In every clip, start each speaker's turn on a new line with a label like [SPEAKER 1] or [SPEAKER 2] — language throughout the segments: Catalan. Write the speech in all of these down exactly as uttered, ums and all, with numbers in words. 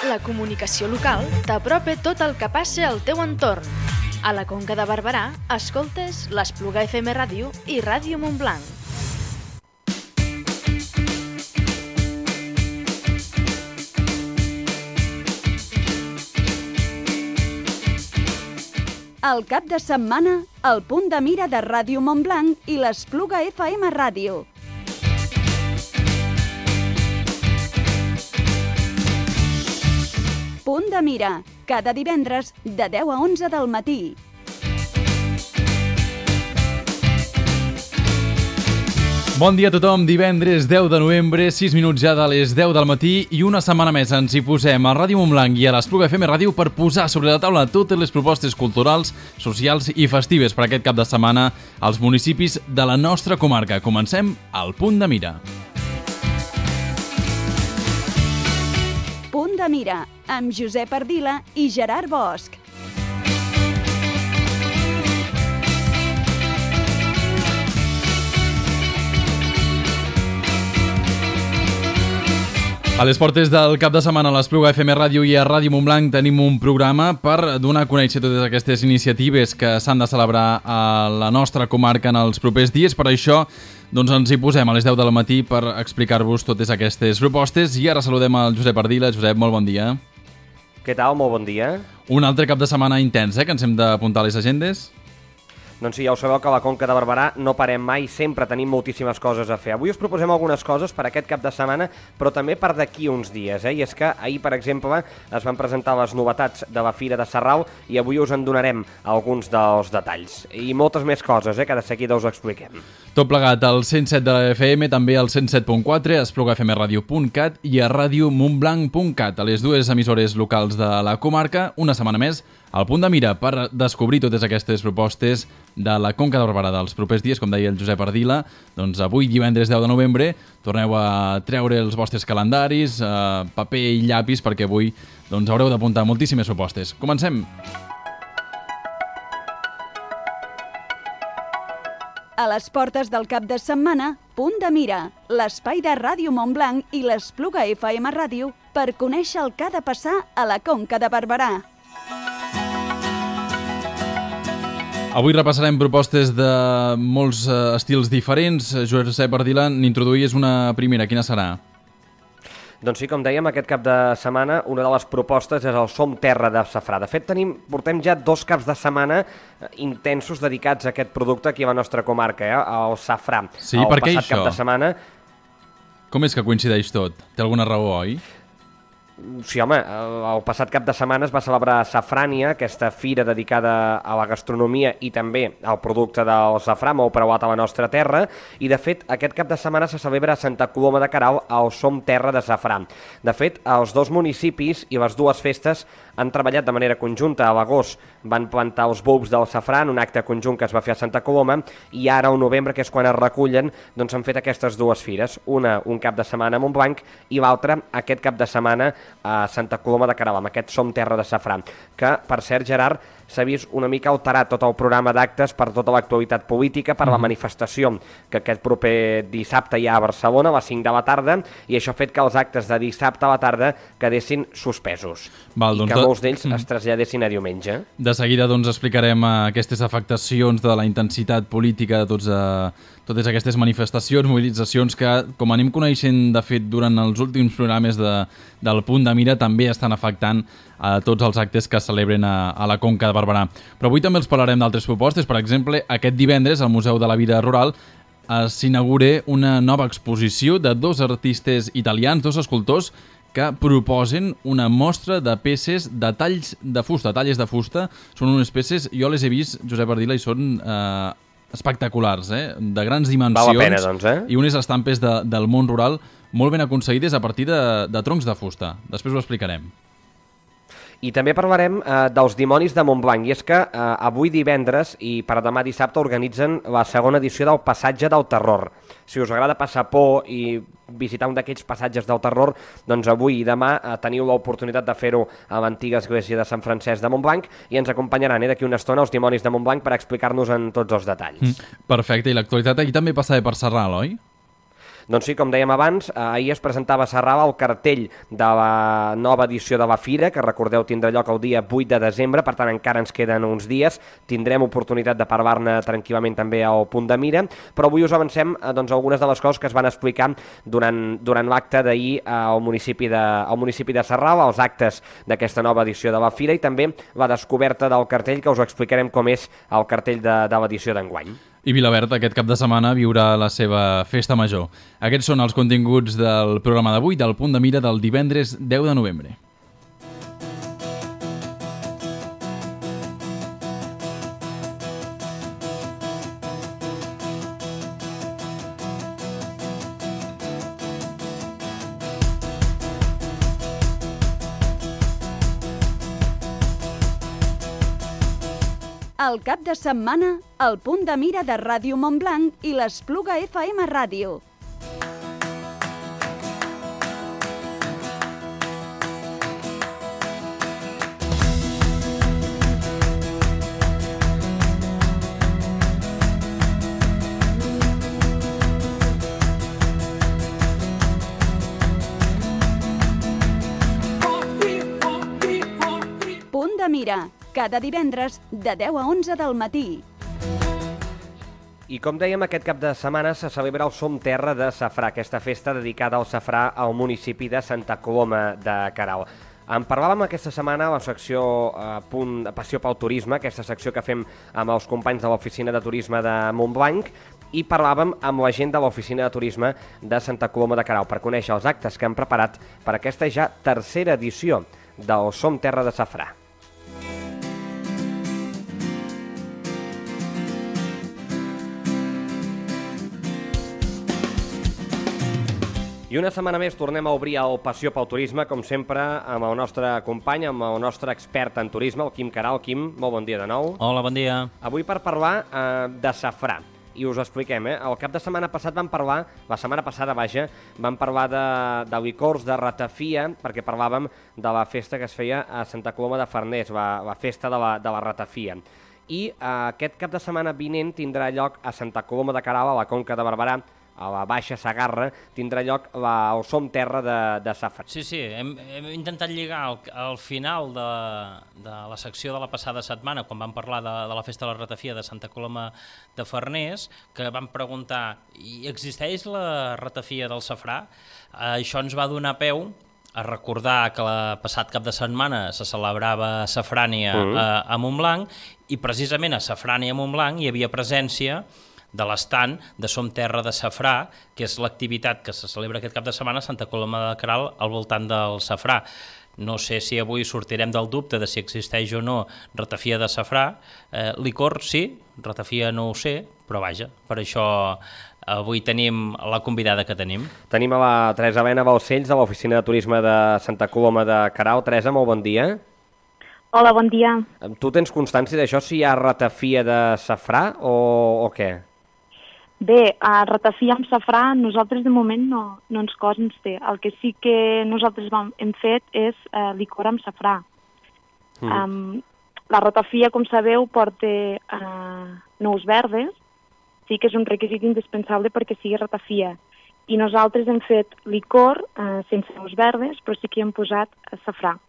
[SPEAKER 1] La comunicació local t'apropa tot el que passa al teu entorn. A la Conca de Barberà, escoltes l'Espluga F M Ràdio i Ràdio Montblanc.
[SPEAKER 2] El cap de setmana, el punt de mira de Ràdio Montblanc i l'Espluga F M Ràdio. Punt de mira, cada divendres de deu a onze del matí.
[SPEAKER 3] Bon dia a tothom, divendres deu de novembre, sis minuts ja de les deu del matí i una setmana més ens hi posem a Ràdio Montblanc i a l'Espluga F M Ràdio per posar sobre la taula totes les propostes culturals, socials i festives per aquest cap de setmana als municipis de la nostra comarca. Comencem al Punt de Mira.
[SPEAKER 2] Punt de mira, amb Josep Ardila i Gerard Bosch.
[SPEAKER 3] A les portes del cap de setmana a l'Espluga F M Ràdio i a Ràdio Montblanc tenim un programa per donar a conèixer totes aquestes iniciatives que s'han de celebrar a la nostra comarca en els propers dies. Per això doncs ens hi posem a les deu del matí per explicar-vos totes aquestes propostes i ara saludem el Josep Ardila. Josep, molt bon dia.
[SPEAKER 4] Què tal? Molt bon dia.
[SPEAKER 3] Un altre cap de setmana intens, eh, que ens hem d'apuntar a les agendes.
[SPEAKER 4] Doncs sí, ja ho sabeu que a la Conca de Barberà no parem mai, sempre tenim moltíssimes coses a fer. Avui us proposem algunes coses per aquest cap de setmana, però també per d'aquí uns dies, eh? I és que ahir, per exemple, es van presentar les novetats de la Fira de Sarral i avui us en donarem alguns dels detalls. I moltes més coses, eh, que de seguida us expliquem.
[SPEAKER 3] Tot plegat al cent set de la F M, també al cent set punt quatre, a espluga f m radio punt cat i a ràdio montblanc punt cat, a les dues emissores locals de la comarca, una setmana més, al Punt de Mira per descobrir totes aquestes propostes de la Conca de Barberà dels propers dies, com deia el Josep Ardila. Doncs avui, divendres deu de novembre, torneu a treure els vostres calendaris, eh, paper i llapis, perquè avui doncs, haureu d'apuntar moltíssimes propostes. Comencem!
[SPEAKER 2] A les portes del cap de setmana, Punt de mira, l'espai de Ràdio Montblanc i l'Espluga F M Ràdio per conèixer el que ha de passar a la Conca de Barberà.
[SPEAKER 3] Avui repassarem propostes de molts uh, estils diferents. Josep Ardila, n'introduïes una primera. Quina serà?
[SPEAKER 4] Doncs sí, com dèiem, aquest cap de setmana una de les propostes és el Som Terra de Safrà. De fet, tenim, portem ja dos caps de setmana intensos dedicats a aquest producte aquí a la nostra comarca, eh? El safrà.
[SPEAKER 3] Sí,
[SPEAKER 4] el
[SPEAKER 3] per què
[SPEAKER 4] passat
[SPEAKER 3] això?
[SPEAKER 4] Cap de setmana...
[SPEAKER 3] Com és que coincideix tot? Té alguna raó, oi?
[SPEAKER 4] Sí, home, el passat cap de setmana es va celebrar Safrània, aquesta fira dedicada a la gastronomia i també al producte del safrà, molt preuat a la nostra terra, i de fet aquest cap de setmana se celebra a Santa Coloma de Queralt el Som Terra de Safrà. De fet, els dos municipis i les dues festes han treballat de manera conjunta. A l'agost van plantar els bulbs del safrà en un acte conjunt que es va fer a Santa Coloma i ara al novembre, que és quan es recullen, doncs han fet aquestes dues fires. Una un cap de setmana a Montblanc i l'altra aquest cap de setmana a Santa Coloma de Queralt, amb aquest Som Terra de Safrà, que, per cert, Gerard, s'ha vist una mica alterat tot el programa d'actes per tota l'actualitat política, per la manifestació que aquest proper dissabte hi ha a Barcelona a les cinc de la tarda, i això ha fet que els actes de dissabte a la tarda quedessin suspesos.
[SPEAKER 3] Val,
[SPEAKER 4] I
[SPEAKER 3] doncs
[SPEAKER 4] que
[SPEAKER 3] de...
[SPEAKER 4] molts d'ells es traslladessin a diumenge.
[SPEAKER 3] De seguida doncs, explicarem aquestes afectacions de la intensitat política de tots, eh, totes aquestes manifestacions, mobilitzacions que, com anem coneixent de fet durant els últims programes de, del Punt de Mira, també estan afectant a tots els actes que es celebren a, a la Conca de Barberà. Però avui també els parlarem d'altres propostes. Per exemple, aquest divendres al Museu de la Vida Rural s'inaugura una nova exposició de dos artistes italians, dos escultors, que proposen una mostra de peces de talls de fusta, talles de fusta. Són unes peces, jo les he vist, Josep Ardila, i són eh, espectaculars, eh? De grans dimensions.
[SPEAKER 4] Val la pena, doncs, eh?
[SPEAKER 3] I unes estampes de, del món rural molt ben aconseguides a partir de, de troncs de fusta. Després ho explicarem.
[SPEAKER 4] I també parlarem eh, dels Dimonis de Montblanc, i és que eh, avui divendres i per demà dissabte organitzen la segona edició del Passatge del Terror. Si us agrada passar por i visitar un d'aquells passatges del terror, doncs avui i demà eh, teniu l'oportunitat de fer-ho a l'antiga església de Sant Francesc de Montblanc i ens acompanyaran eh, d'aquí una estona els Dimonis de Montblanc per explicar-nos en tots els detalls.
[SPEAKER 3] Mm, perfecte, i l'actualitat aquí també passa per Sarral, oi?
[SPEAKER 4] Doncs sí, com dèiem abans, ahir es presentava a Sarral el cartell de la nova edició de la Fira, que recordeu tindrà lloc el dia vuit de desembre, per tant encara ens queden uns dies, tindrem oportunitat de parlar-ne tranquil·lament també al Punt de Mira, però avui us avancem doncs, algunes de les coses que es van explicar durant, durant l'acte d'ahir al municipi de, al municipi de Sarral, els actes d'aquesta nova edició de la Fira i també la descoberta del cartell, que us ho explicarem com és el cartell de, de l'edició d'enguany.
[SPEAKER 3] I Vilaverd aquest cap de setmana viurà la seva festa major. Aquests són els continguts del programa d'avui, del Punt de Mira del divendres deu de novembre.
[SPEAKER 2] El cap de setmana, el Punt de Mira de Ràdio Montblanc i l'Espluga F M Ràdio. Punt de Mira, cada divendres de deu a onze del matí.
[SPEAKER 4] I com dèiem, aquest cap de setmana se celebra el Som Terra de Safrà, aquesta festa dedicada al safrà al municipi de Santa Coloma de Queralt. En parlàvem aquesta setmana a la secció eh, punt, Passió pel Turisme, aquesta secció que fem amb els companys de l'Oficina de Turisme de Montblanc, i parlàvem amb la gent de l'Oficina de Turisme de Santa Coloma de Queralt per conèixer els actes que han preparat per aquesta ja tercera edició del Som Terra de Safrà. I una setmana més tornem a obrir el Passió pel Turisme, com sempre, amb el nostre company, amb el nostre expert en turisme, el Quim Queralt. Quim, molt bon dia de nou.
[SPEAKER 5] Hola, bon dia.
[SPEAKER 4] Avui per parlar eh, de safrà. I us ho expliquem, eh? El cap de setmana passat vam parlar, la setmana passada, vaja, vam parlar de, de licors, de ratafia, perquè parlàvem de la festa que es feia a Santa Coloma de Farners, la, la festa de la, de la ratafia. I eh, aquest cap de setmana vinent tindrà lloc a Santa Coloma de Queralt, a la Conca de Barberà, a la Baixa Segarra, tindrà lloc la, el Som Terra de, de Safrà.
[SPEAKER 5] Sí, sí, hem, hem intentat lligar al, al final de, de la secció de la passada setmana, quan vam parlar de, de la festa de la ratafia de Santa Coloma de Farners, que vam preguntar, i existeix la ratafia del safrà? Eh, això ens va donar peu a recordar que el passat cap de setmana se celebrava Safrània mm. a, a Montblanc, i precisament a Safrània a Montblanc hi havia presència de l'estand de Som Terra de Safrà, que és l'activitat que se celebra aquest cap de setmana a Santa Coloma de Queralt al voltant del safrà. No sé si avui sortirem del dubte de si existeix o no ratafia de safrà. Eh, licor sí, ratafia no ho sé, però vaja, per això avui tenim la convidada que tenim.
[SPEAKER 4] Tenim a la Teresa Elena Balcells de l'Oficina de Turisme de Santa Coloma de Queralt. Teresa, molt bon dia.
[SPEAKER 6] Hola, bon dia.
[SPEAKER 4] Tu tens constància d'això, si hi ha ratafia de safrà o, o què?
[SPEAKER 6] Bé, a ratafia amb safrà nosaltres de moment no, no ens consta. El que sí que nosaltres vam, hem fet és eh, licor amb safrà. Mm. Um, la ratafia, com sabeu, porta eh, nous verdes, sí que és un requisit indispensable perquè sigui ratafia. I nosaltres hem fet licor eh, sense nous verdes, però sí que hi hem posat safrà.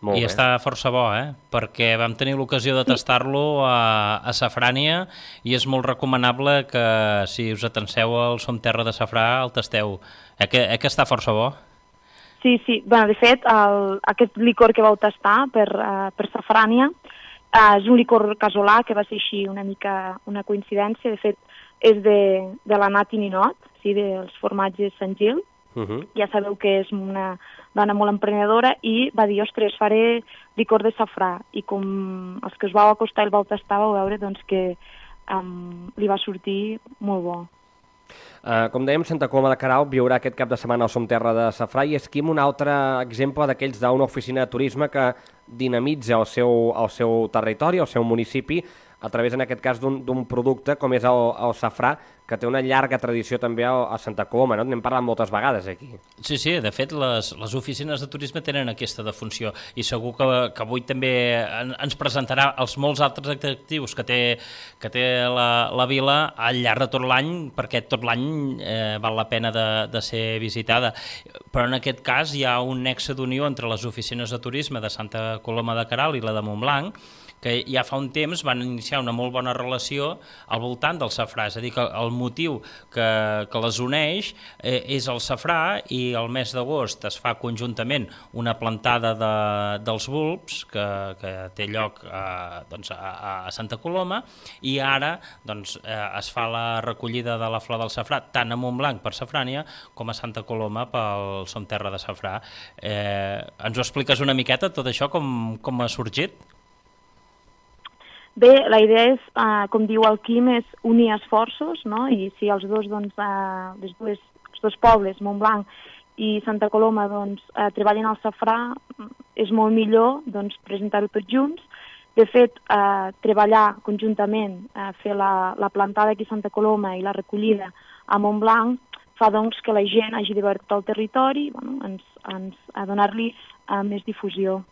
[SPEAKER 5] Molt I bé. Està força bo, eh? Perquè vam tenir l'ocasió de tastar-lo a, a Safrània i és molt recomanable que si us atenceu al Som Terra de Safrà el tasteu. Eh que, eh que està força bo?
[SPEAKER 6] Sí, sí. Bueno, de fet, el, aquest licor que vau tastar per, uh, per Safrània uh, és un licor casolà que va ser així una mica una coincidència. De fet, és de, de la Nati Ninot, sí, dels formatges Sant Gil. Uh -huh. Ja sabeu que és una dona molt emprenedora i va dir, ostres, faré licor de safrà. I com els que us vau acostar i el vau tastar, vau veure doncs, que um, li va sortir molt bo.
[SPEAKER 4] Uh, com dèiem, Santa Coloma de Queralt viurà aquest cap de setmana al Som Terra de Safrà i és Quim un altre exemple d'aquells d'una oficina de turisme que dinamitza el seu, el seu territori, el seu municipi, a través, en aquest cas, d'un producte com és el, el safrà, que té una llarga tradició també a Santa Coloma, no? N'hem parlat moltes vegades aquí.
[SPEAKER 5] Sí, sí, de fet les, les oficines de turisme tenen aquesta defunció i segur que, que avui també ens presentarà els molts altres atractius que té, que té la, la vila al llarg de tot l'any, perquè tot l'any eh, val la pena de, de ser visitada. Però en aquest cas hi ha un nexe d'unió entre les oficines de turisme de Santa Coloma de Queralt i la de Montblanc, que ja fa un temps van iniciar una molt bona relació al voltant del safrà, és a dir, que el motiu que, que les uneix eh, és el safrà, i el mes d'agost es fa conjuntament una plantada de, dels bulbs que, que té lloc a, doncs, a, a Santa Coloma, i ara doncs, eh, es fa la recollida de la flor del safrà tant a Montblanc per Safrània com a Santa Coloma pel Som Terra de Safrà. Eh, ens ho expliques una miqueta tot això, com, com ha sorgit?
[SPEAKER 6] Bé, la idea és, eh, com diu el Quim, és unir esforços, no? I si els dos, doncs, eh, les dues, els dos pobles, Montblanc i Santa Coloma, doncs, eh, treballen al safrà, és molt millor, doncs, presentar-ho tots junts. De fet, eh, treballar conjuntament, eh, fer la, la plantada aquí a Santa Coloma i la recollida a Montblanc fa, doncs, que la gent hagi de veure tot el territori, bueno, ens, ens, a donar-li eh, més difusió.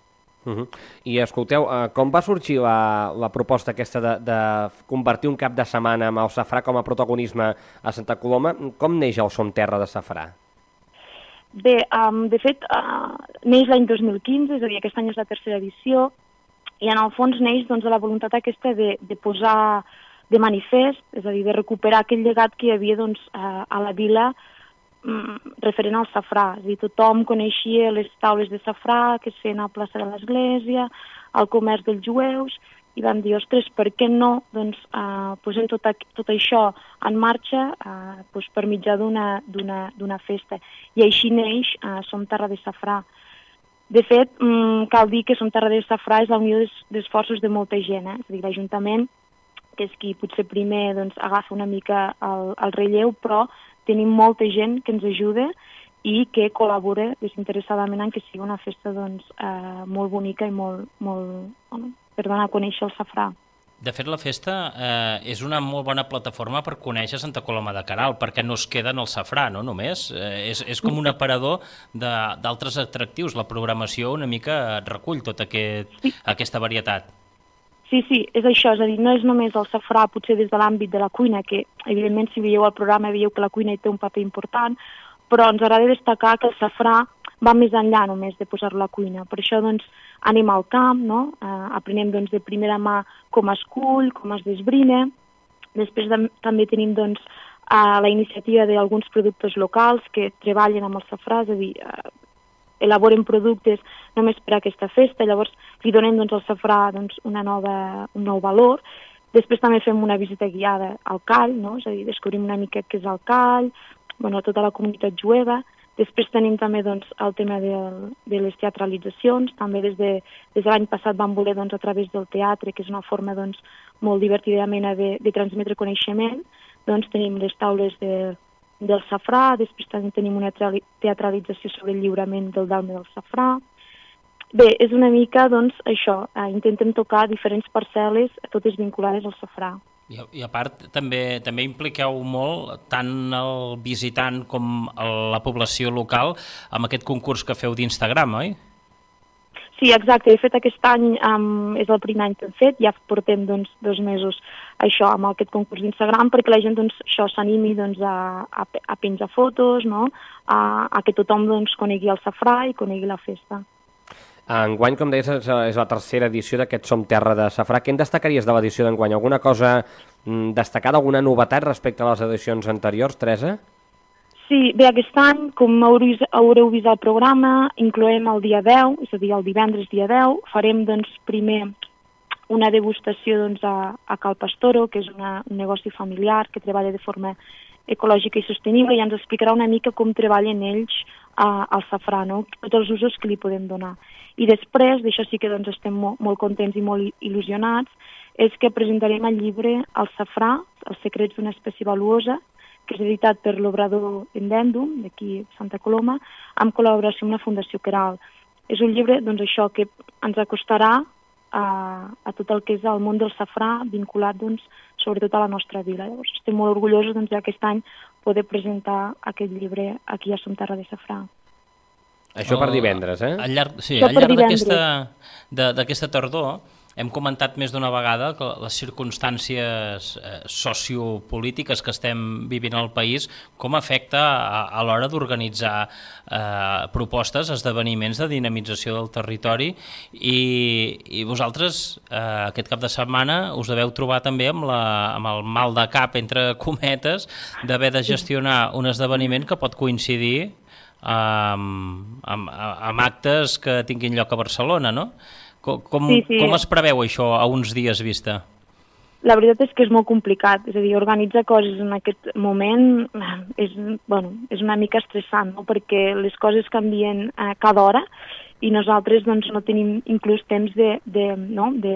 [SPEAKER 4] Uh -huh. I escolteu, uh, com va sorgir la, la proposta aquesta de, de convertir un cap de setmana amb el safrà com a protagonisme a Santa Coloma? Com neix el Som Terra de Safrà?
[SPEAKER 6] Bé, um, de fet, uh, neix l'any dos mil quinze, és a dir, aquest any és la tercera edició, i en el fons neix, doncs, de la voluntat aquesta de, de posar de manifest, és a dir, de recuperar aquell llegat que hi havia, doncs, uh, a la vila, referent al safrà. És a dir, tothom coneixia les taules de safrà que es feien a la plaça de l'Església, el comerç dels jueus, i vam dir, ostres, per què no doncs, eh, posem tot, tot això en marxa eh, doncs, per mitjà d'una festa. I així neix eh, Som Terra de Safrà. De fet, mm, cal dir que Som Terra de Safrà és la unió d'esforços de molta gent, eh? És a dir, l'Ajuntament, que és qui potser primer doncs, agafa una mica el, el relleu, però tenim molta gent que ens ajuda i que col·labora desinteressadament en que sigui una festa doncs, eh, molt bonica i molt, molt bueno, per donar a conèixer el safrà.
[SPEAKER 5] De fet, la festa eh, és una molt bona plataforma per conèixer Santa Coloma de Queralt, perquè no es queda en el safrà, no només. Eh, és, és com un aparador d'altres atractius. La programació una mica recull tota aquest, sí. aquesta varietat.
[SPEAKER 6] Sí, sí, és això, és a dir, no és només el safrà, potser des de l'àmbit de la cuina, que evidentment si veieu el programa veieu que la cuina hi té un paper important, però ens agrada destacar que el safrà va més enllà només de posar-lo a la cuina. Per això doncs anem al camp, no? eh, aprenem doncs, de primera mà com es cull, com es desbrina. Després de, també tenim doncs, eh, la iniciativa d'alguns productors locals que treballen amb el safrà, és a dir, eh, elaboren productes només per a aquesta festa, llavors li donem doncs, al safrà doncs, una nova, un nou valor. Després també fem una visita guiada al call, no? És a dir, descobrim una mica què és el call, bueno, tota la comunitat jueva. Després tenim també doncs, el tema de, de les teatralitzacions, també des de, des de l'any passat vam voler doncs, a través del teatre, que és una forma doncs, molt divertidament de, de transmetre coneixement, doncs tenim les taules de del safrà, després també tenim una teatralització sobre el lliurament del dalme del safrà. Bé, és una mica, doncs, això, eh, intentem tocar diferents parcel·les, totes vinculades al safrà.
[SPEAKER 5] I, i a part, també també impliqueu molt tant el visitant com el, la població local amb aquest concurs que feu d'Instagram, oi?
[SPEAKER 6] Sí, exacte. De fet, aquest any um, és el primer any que hem fet, ja portem doncs, dos mesos això amb aquest concurs d'Instagram perquè la gent doncs, això s'animi doncs, a, a, a penjar fotos, no? a, a que tothom doncs, conegui el safrà i conegui la festa.
[SPEAKER 4] Enguany, com deies, és la tercera edició d'aquest Som Terra de Safrà. Què en destacaries de l'edició d'enguany? Alguna cosa destacada, alguna novetat respecte a les edicions anteriors, Teresa?
[SPEAKER 6] Sí, bé, aquest any, com haureu vist el programa, incloem el dia deu, és a dir, el divendres dia deu, farem doncs, primer una degustació doncs, a, a Cal Pastoro, que és una, un negoci familiar que treballa de forma ecològica i sostenible, i ens explicarà una mica com treballen ells a, al safrà, no? Tots els usos que li podem donar. I després, d'això sí que doncs, estem molt, molt contents i molt il·lusionats, és que presentarem el llibre El safrà, els secrets d'una espècie valuosa, que és editat per l'Obrador Endèndum, d'aquí a Santa Coloma, amb col·laboració amb la Fundació Queralt. És un llibre, doncs això, que ens acostarà a, a tot el que és el món del safrà vinculat doncs, sobretot a la nostra vila. Llavors, estem molt orgullosos doncs, aquest any poder presentar aquest llibre aquí a Som Terra de Safrà.
[SPEAKER 4] Això per divendres, eh?
[SPEAKER 5] Al llarg, sí,
[SPEAKER 6] Això
[SPEAKER 5] al
[SPEAKER 6] per
[SPEAKER 5] llarg
[SPEAKER 6] divendres.
[SPEAKER 5] d'aquesta d'aquesta tardor hem comentat més d'una vegada que les circumstàncies eh, sociopolítiques que estem vivint al país com afecta a, a l'hora d'organitzar eh, propostes, esdeveniments de dinamització del territori i, i vosaltres eh, aquest cap de setmana us deveu trobar també amb, la, amb el mal de cap, entre cometes, d'haver de gestionar un esdeveniment que pot coincidir amb, amb, amb actes que tinguin lloc a Barcelona, no? Com, com,
[SPEAKER 6] sí, sí.
[SPEAKER 5] com es preveu això a uns dies vista?
[SPEAKER 6] La veritat és que és molt complicat, és a dir, organitzar coses en aquest moment és, bueno, és una mica estressant, no? Perquè les coses canvien eh, cada hora i nosaltres doncs, no tenim inclús temps de, de, no? de,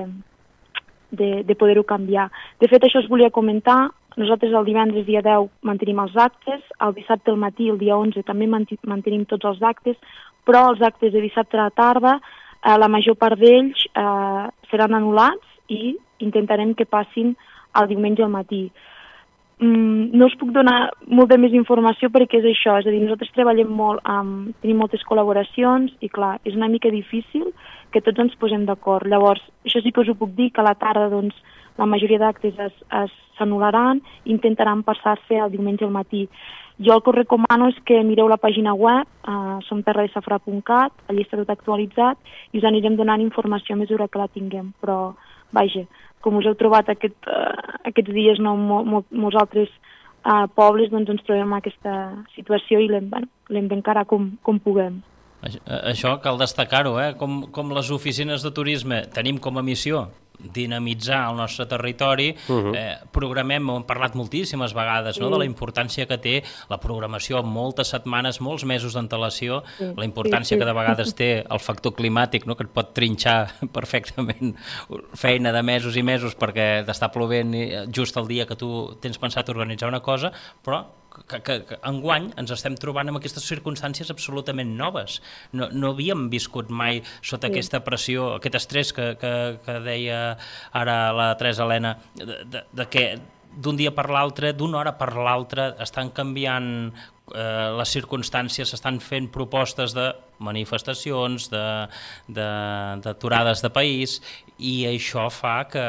[SPEAKER 6] de, de poder-ho canviar. De fet, això us volia comentar, nosaltres el divendres dia deu mantenim els actes, el dissabte al matí, el dia onze, també mantenim tots els actes, però els actes de dissabte a la tarda, eh, la major part d'ells eh, seran anul·lats i intentarem que passin el diumenge al matí. Mm, no us puc donar molta més informació perquè és això, és a dir, nosaltres treballem molt, amb, tenim moltes col·laboracions i clar, és una mica difícil que tots ens posem d'acord. Llavors, això sí que us ho puc dir, que a la tarda doncs, la majoria d'actes s'anul·laran i intentaran passar-se el diumenge al matí. Jo el que us recomano és que mireu la pàgina web, eh, som terra de safrà punt cat, allà està tot actualitzat i us anirem donant informació a mesura que la tinguem. Però, vaja, com us heu trobat aquest, uh, aquests dies no, mo, mo, molts altres uh, pobles, doncs ens trobem en aquesta situació i l'hem bueno, d'encarar com, com puguem.
[SPEAKER 5] Això cal destacar-ho, eh? Com, com les oficines de turisme tenim com a missió dinamitzar el nostre territori, uh-huh. eh, programem, hem parlat moltíssimes vegades, no?, de la importància que té la programació amb moltes setmanes, molts mesos d'antelació, sí, la importància sí, sí. que de vegades té el factor climàtic, no?, que et pot trinxar perfectament feina de mesos i mesos perquè t'està plovent just el dia que tu tens pensat organitzar una cosa, però que, que, que enguany ens estem trobant amb aquestes circumstàncies absolutament noves. No, no havíem viscut mai sota sí. aquesta pressió, aquest estrès que, que, que deia ara la Teresa Helena, de, de, de que d'un dia per l'altre, d'una hora per l'altra, estan canviant eh, les circumstàncies, s'estan fent propostes de manifestacions, d'aturades de, de, de país, i això fa que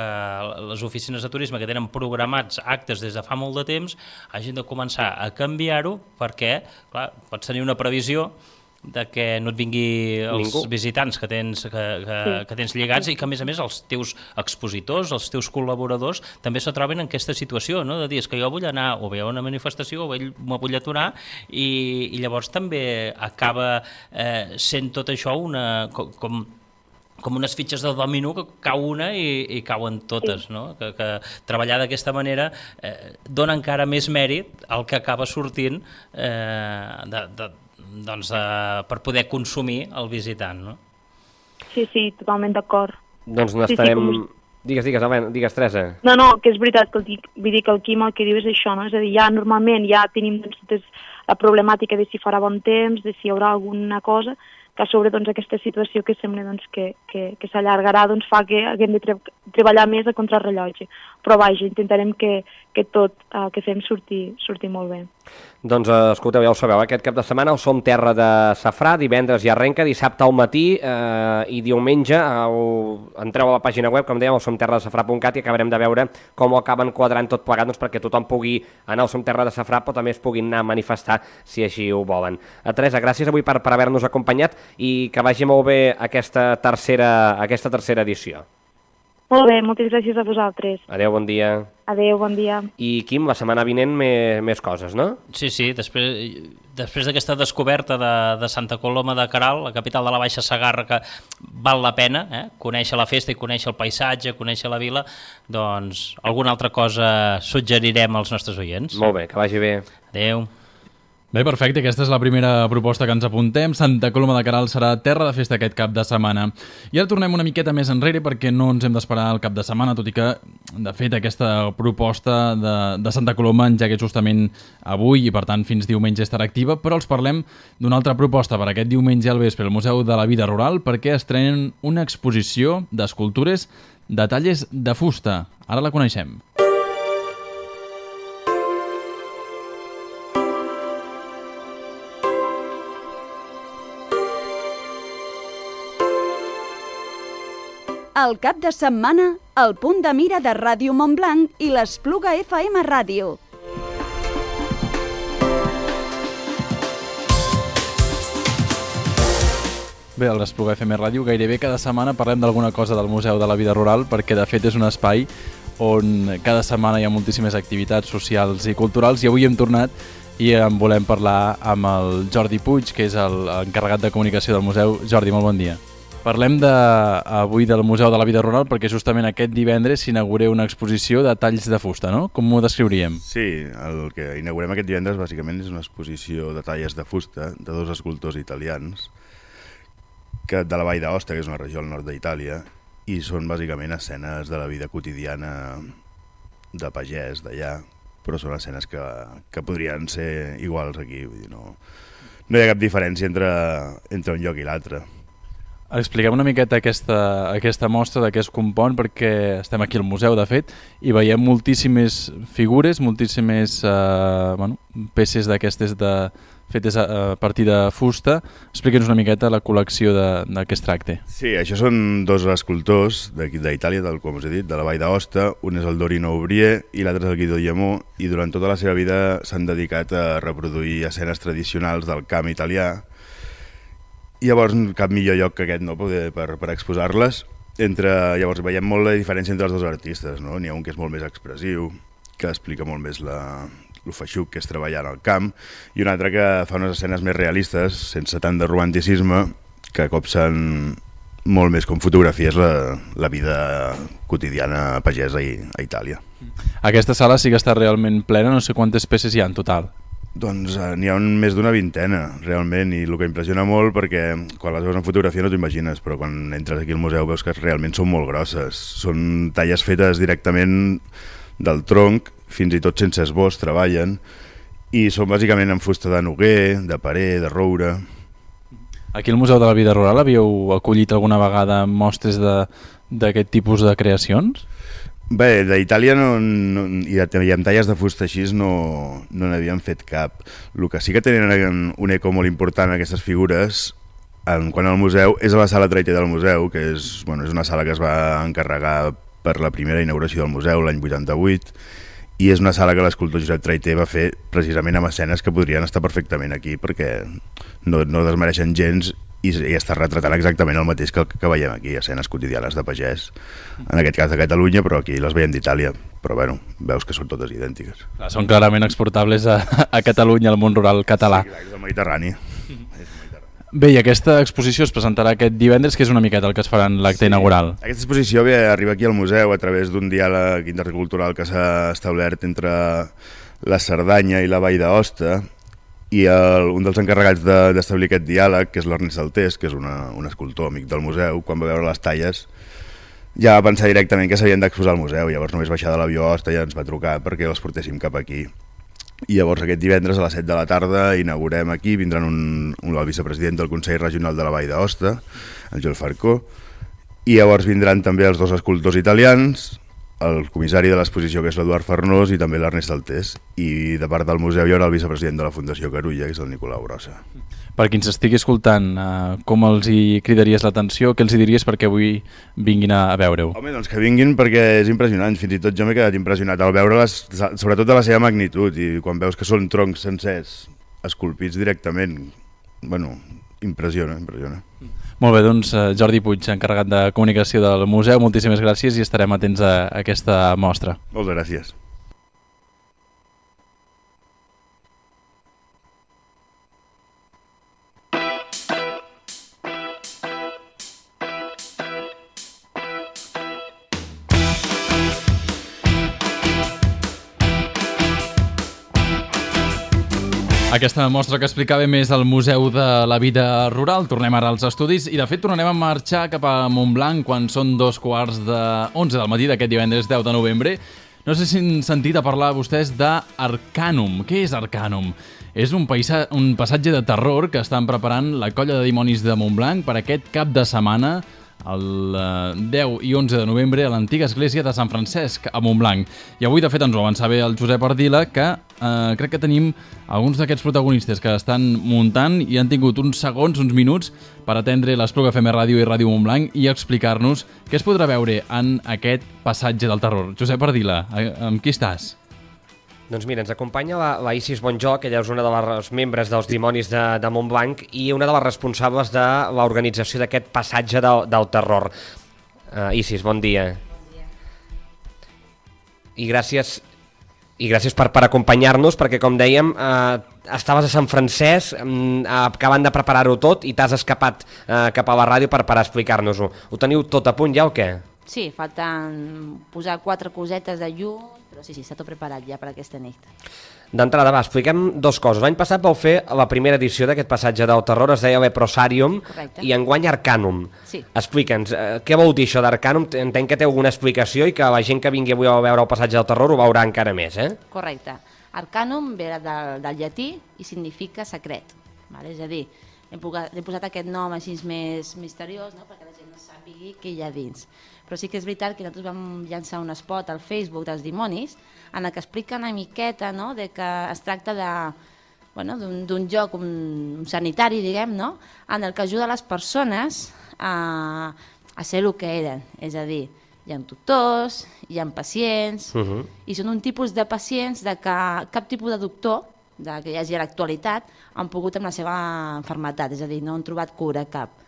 [SPEAKER 5] les oficines de turisme que tenen programats actes des de fa molt de temps hagin de començar a canviar-ho perquè, clar, pots tenir una previsió de que no et vingui els Ningú. visitants que tens, que, que, sí. que tens lligats i que, a més a més, els teus expositors, els teus col·laboradors, també se troben en aquesta situació, no?, de dir, és que jo vull anar o bé a una manifestació o bé me vull aturar i, i llavors també acaba eh, sent tot això una... com, com unes fitxes del domino que cau una i, i cauen totes, sí. no? Que, que treballar d'aquesta manera eh, dona encara més mèrit al que acaba sortint eh, de, de, doncs, eh, per poder consumir el visitant, no?
[SPEAKER 6] Sí, sí, totalment d'acord.
[SPEAKER 4] Doncs n'estarem...
[SPEAKER 6] Sí, sí, com...
[SPEAKER 4] Digues, digues, Helena, digues, Teresa.
[SPEAKER 6] No, no, que és veritat, que el, vull dir que el Quim el que diu és això, no? És a dir, ja normalment ja tenim doncs, la problemàtica de si farà bon temps, de si hi haurà alguna cosa, que a sobre doncs, aquesta situació que sembla doncs, que, que, que s'allargarà doncs, fa que haguem de tre treballar més a contrarrellotge. Però vaja, intentarem que, que tot el que fem surti, surti molt bé.
[SPEAKER 4] Doncs escolteu, ja ho sabeu, aquest cap de setmana el Som Terra de Safrà, divendres ja arrenca, dissabte al matí eh, i diumenge el... entreu a la pàgina web, com dèiem, el som terra de safrà punt cat i acabarem de veure com ho acaben quadrant tot plegat, doncs, perquè tothom pugui anar al Som Terra de Safrà, però també es puguin anar a manifestar si així ho volen. A Teresa, gràcies avui per, per haver-nos acompanyat i que vagi molt bé aquesta tercera, aquesta tercera edició.
[SPEAKER 6] Molt bé, moltes gràcies a vosaltres.
[SPEAKER 4] Adéu, bon dia.
[SPEAKER 6] Adéu, bon dia.
[SPEAKER 4] I, Quim, la setmana vinent més, més coses, no?
[SPEAKER 5] Sí, sí, després, després d'aquesta descoberta de, de Santa Coloma de Queralt, la capital de la Baixa Segarra, que val la pena, eh? conèixer la festa i conèixer el paisatge, conèixer la vila, doncs alguna altra cosa suggerirem als nostres oients.
[SPEAKER 4] Molt bé, que vagi bé.
[SPEAKER 5] Adéu.
[SPEAKER 3] Bé, perfecte, aquesta és la primera proposta que ens apuntem. Santa Coloma de Queralt serà terra de festa aquest cap de setmana. I ara tornem una miqueta més enrere perquè no ens hem d'esperar el cap de setmana, tot i que, de fet, aquesta proposta de, de Santa Coloma engega justament avui i, per tant, fins diumenge estarà activa, però els parlem d'una altra proposta per aquest diumenge al vespre al Museu de la Vida Rural perquè estrenen una exposició d'escultures de talles de fusta. Ara la coneixem.
[SPEAKER 2] El cap de setmana, el punt de mira de Ràdio Montblanc i l'Espluga F M Ràdio.
[SPEAKER 3] Bé, a l'Espluga F M Ràdio gairebé cada setmana parlem d'alguna cosa del Museu de la Vida Rural perquè de fet és un espai on cada setmana hi ha moltíssimes activitats socials i culturals i avui hem tornat i en volem parlar amb el Jordi Puig, que és l'encarregat de comunicació del museu. Jordi, molt bon dia. Parlem de, avui del Museu de la Vida Rural perquè justament aquest divendres s'inaugura una exposició de talls de fusta, no? Com ho descriuríem?
[SPEAKER 7] Sí, el que inaugurem aquest divendres bàsicament és una exposició de talles de fusta de dos escultors italians que de la Vall d'Aosta, que és una regió al nord d'Itàlia, i són bàsicament escenes de la vida quotidiana de pagès d'allà, però són escenes que, que podrien ser iguals aquí, vull dir, no, no hi ha cap diferència entre, entre un lloc i l'altre.
[SPEAKER 3] Expliquem una miqueta aquesta, aquesta mostra de què es compon, perquè estem aquí al museu, de fet, i veiem moltíssimes figures, moltíssimes eh, bueno, peces d'aquestes de, fetes a, a partir de fusta. Explica'ns una miqueta la col·lecció de, de què es tracta.
[SPEAKER 7] Sí, això són dos escultors d'Itàlia, tal com us he dit, de la Vall d'Aosta. Un és el Dorino Aubrier i l'altre és el Guido Llemó, i durant tota la seva vida s'han dedicat a reproduir escenes tradicionals del camp italià. I llavors cap millor lloc que aquest no poder per, per exposar-les. Entre, llavors veiem molt la diferència entre els dos artistes, no? N'hi ha un que és molt més expressiu, que explica molt més la, el feixuc que és treballar en el camp, i un altre que fa unes escenes més realistes, sense tant de romanticisme, que copsen molt més com fotografies la, la vida quotidiana pagesa a, a Itàlia.
[SPEAKER 3] Aquesta sala sí que està realment plena, no sé quantes peces hi ha en total.
[SPEAKER 7] Doncs eh, n'hi ha un, més d'una vintena, realment, i el que impressiona molt perquè quan les veus en fotografia no t'ho imagines, però quan entres aquí al museu veus que realment són molt grosses. Són talles fetes directament del tronc, fins i tot sense esbós treballen, i són bàsicament en fusta de noguer, de parer, de roure.
[SPEAKER 3] Aquí al Museu de la Vida Rural havíeu acollit alguna vegada mostres d'aquest tipus de creacions?
[SPEAKER 7] Bé, d'Itàlia no, no, i, de, i amb talles de fusta així no, no n'havíem fet cap. El que sí que tenen un eco molt important aquestes figures en quant al museu és a la sala Traité del museu, que és, bueno, és una sala que es va encarregar per la primera inauguració del museu l'any vuitanta-vuit, i és una sala que l'escultor Josep Traité va fer precisament amb escenes que podrien estar perfectament aquí perquè no, no desmereixen gens i, i està retratant exactament el mateix que, que veiem aquí, escenes quotidianes de pagès, en aquest cas de Catalunya, però aquí les veiem d'Itàlia, però bueno, veus que són totes idèntiques.
[SPEAKER 3] Clar, són clarament exportables a, a Catalunya, al món rural català.
[SPEAKER 7] Sí, clar, és el Mediterrani.
[SPEAKER 3] Bé, i aquesta exposició es presentarà aquest divendres, que és una miqueta el que es farà en l'acte sí. inaugural.
[SPEAKER 7] Aquesta exposició ve arriba aquí al museu a través d'un diàleg intercultural que s'ha establert entre la Cerdanya i la Vall d'Aosta, i el, un dels encarregats d'establir de, aquest diàleg, que és l'Ernest Altés, que és una, un escultor amic del museu, quan va veure les talles ja va pensar directament que s'havien d'exposar al museu, llavors només baixar de l'avió a Aosta ja ens va trucar perquè les portéssim cap aquí. I llavors aquest divendres a les set de la tarda inaugurem aquí, vindran un, un, el vicepresident del Consell Regional de la Vall d'Aosta, el Joel Farcó, i llavors vindran també els dos escultors italians, el comissari de l'exposició, que és l'Eduard Farnós, i també l'Ernest Altés. I de part del museu hi haurà el vicepresident de la Fundació Carulla, que és el Nicolau Brossa.
[SPEAKER 3] Per qui ens estigui escoltant, eh, com els hi cridaries l'atenció? Què els hi diries perquè avui vinguin a, a veure-ho?
[SPEAKER 7] Home, doncs que vinguin perquè és impressionant. Fins i tot jo m'he quedat impressionat al veure-les, sobretot de la seva magnitud, i quan veus que són troncs sencers, esculpits directament, bueno, impressiona, impressiona.
[SPEAKER 3] Molt bé, doncs Jordi Puig, encarregat de comunicació del museu, moltíssimes gràcies i estarem atents a aquesta mostra.
[SPEAKER 7] Moltes gràcies.
[SPEAKER 3] Aquesta mostra que explicava més al Museu de la Vida Rural. Tornem ara als estudis i, de fet, tornarem a marxar cap a Montblanc quan són dos quarts de onze del matí d'aquest divendres deu de novembre. No sé si han sentit a parlar vostès d'Arcanum. Què és Arcanum? És un, paisa, un passatge de terror que estan preparant la colla de dimonis de Montblanc per aquest cap de setmana, el deu i onze de novembre, a l'antiga església de Sant Francesc, a Montblanc. I avui, de fet, ens ho avançava el Josep Ardila, que eh, crec que tenim alguns d'aquests protagonistes que estan muntant i han tingut uns segons, uns minuts, per atendre l'Espluga F M Ràdio i Ràdio Montblanc i explicar-nos què es podrà veure en aquest passatge del terror. Josep Ardila, amb qui estàs?
[SPEAKER 4] Doncs mira, ens acompanya la, la Isis Bonjoc, ella és una de les membres dels Dimonis de, de Montblanc i una de les responsables de l'organització d'aquest passatge del, del terror. Uh, Isis, bon dia.
[SPEAKER 8] Bon dia.
[SPEAKER 4] I gràcies, i gràcies per, per acompanyar-nos, perquè, com dèiem, uh, estaves a Sant Francesc, um, acabant de preparar-ho tot i t'has escapat uh, cap a la ràdio per, per explicar-nos-ho. Ho teniu tot a punt ja o què?
[SPEAKER 8] Sí, falten posar quatre cosetes de llum, però sí, sí, està tot preparat ja per aquesta nit.
[SPEAKER 4] D'entrada, va, expliquem dos coses. L'any passat vau fer la primera edició d'aquest passatge del terror, es deia Leprosarium,
[SPEAKER 8] correcte,
[SPEAKER 4] i enguany Arcanum.
[SPEAKER 8] Sí.
[SPEAKER 4] Explica'ns, eh, què vol dir això d'Arcanum? Entenc que té alguna explicació i que la gent que vingui avui a veure el passatge del terror ho veurà encara més, eh?
[SPEAKER 8] Correcte. Arcanum ve del, del llatí i significa secret. Vale? És a dir, hem, posat, hem posat aquest nom així més misteriós, no? Perquè la gent no sàpigui què hi ha dins. Però sí que és veritat que nosaltres vam llançar un spot al Facebook dels Dimonis en el que explica una miqueta, no?, de que es tracta de, bueno, d'un lloc un, un sanitari, diguem, no?, en el que ajuda les persones a, a ser el que eren. És a dir, hi ha doctors, hi ha pacients, uh-huh. i són un tipus de pacients de que cap tipus de doctor de que hi hagi a l'actualitat han pogut amb la seva malaltia, és a dir, no han trobat cura cap.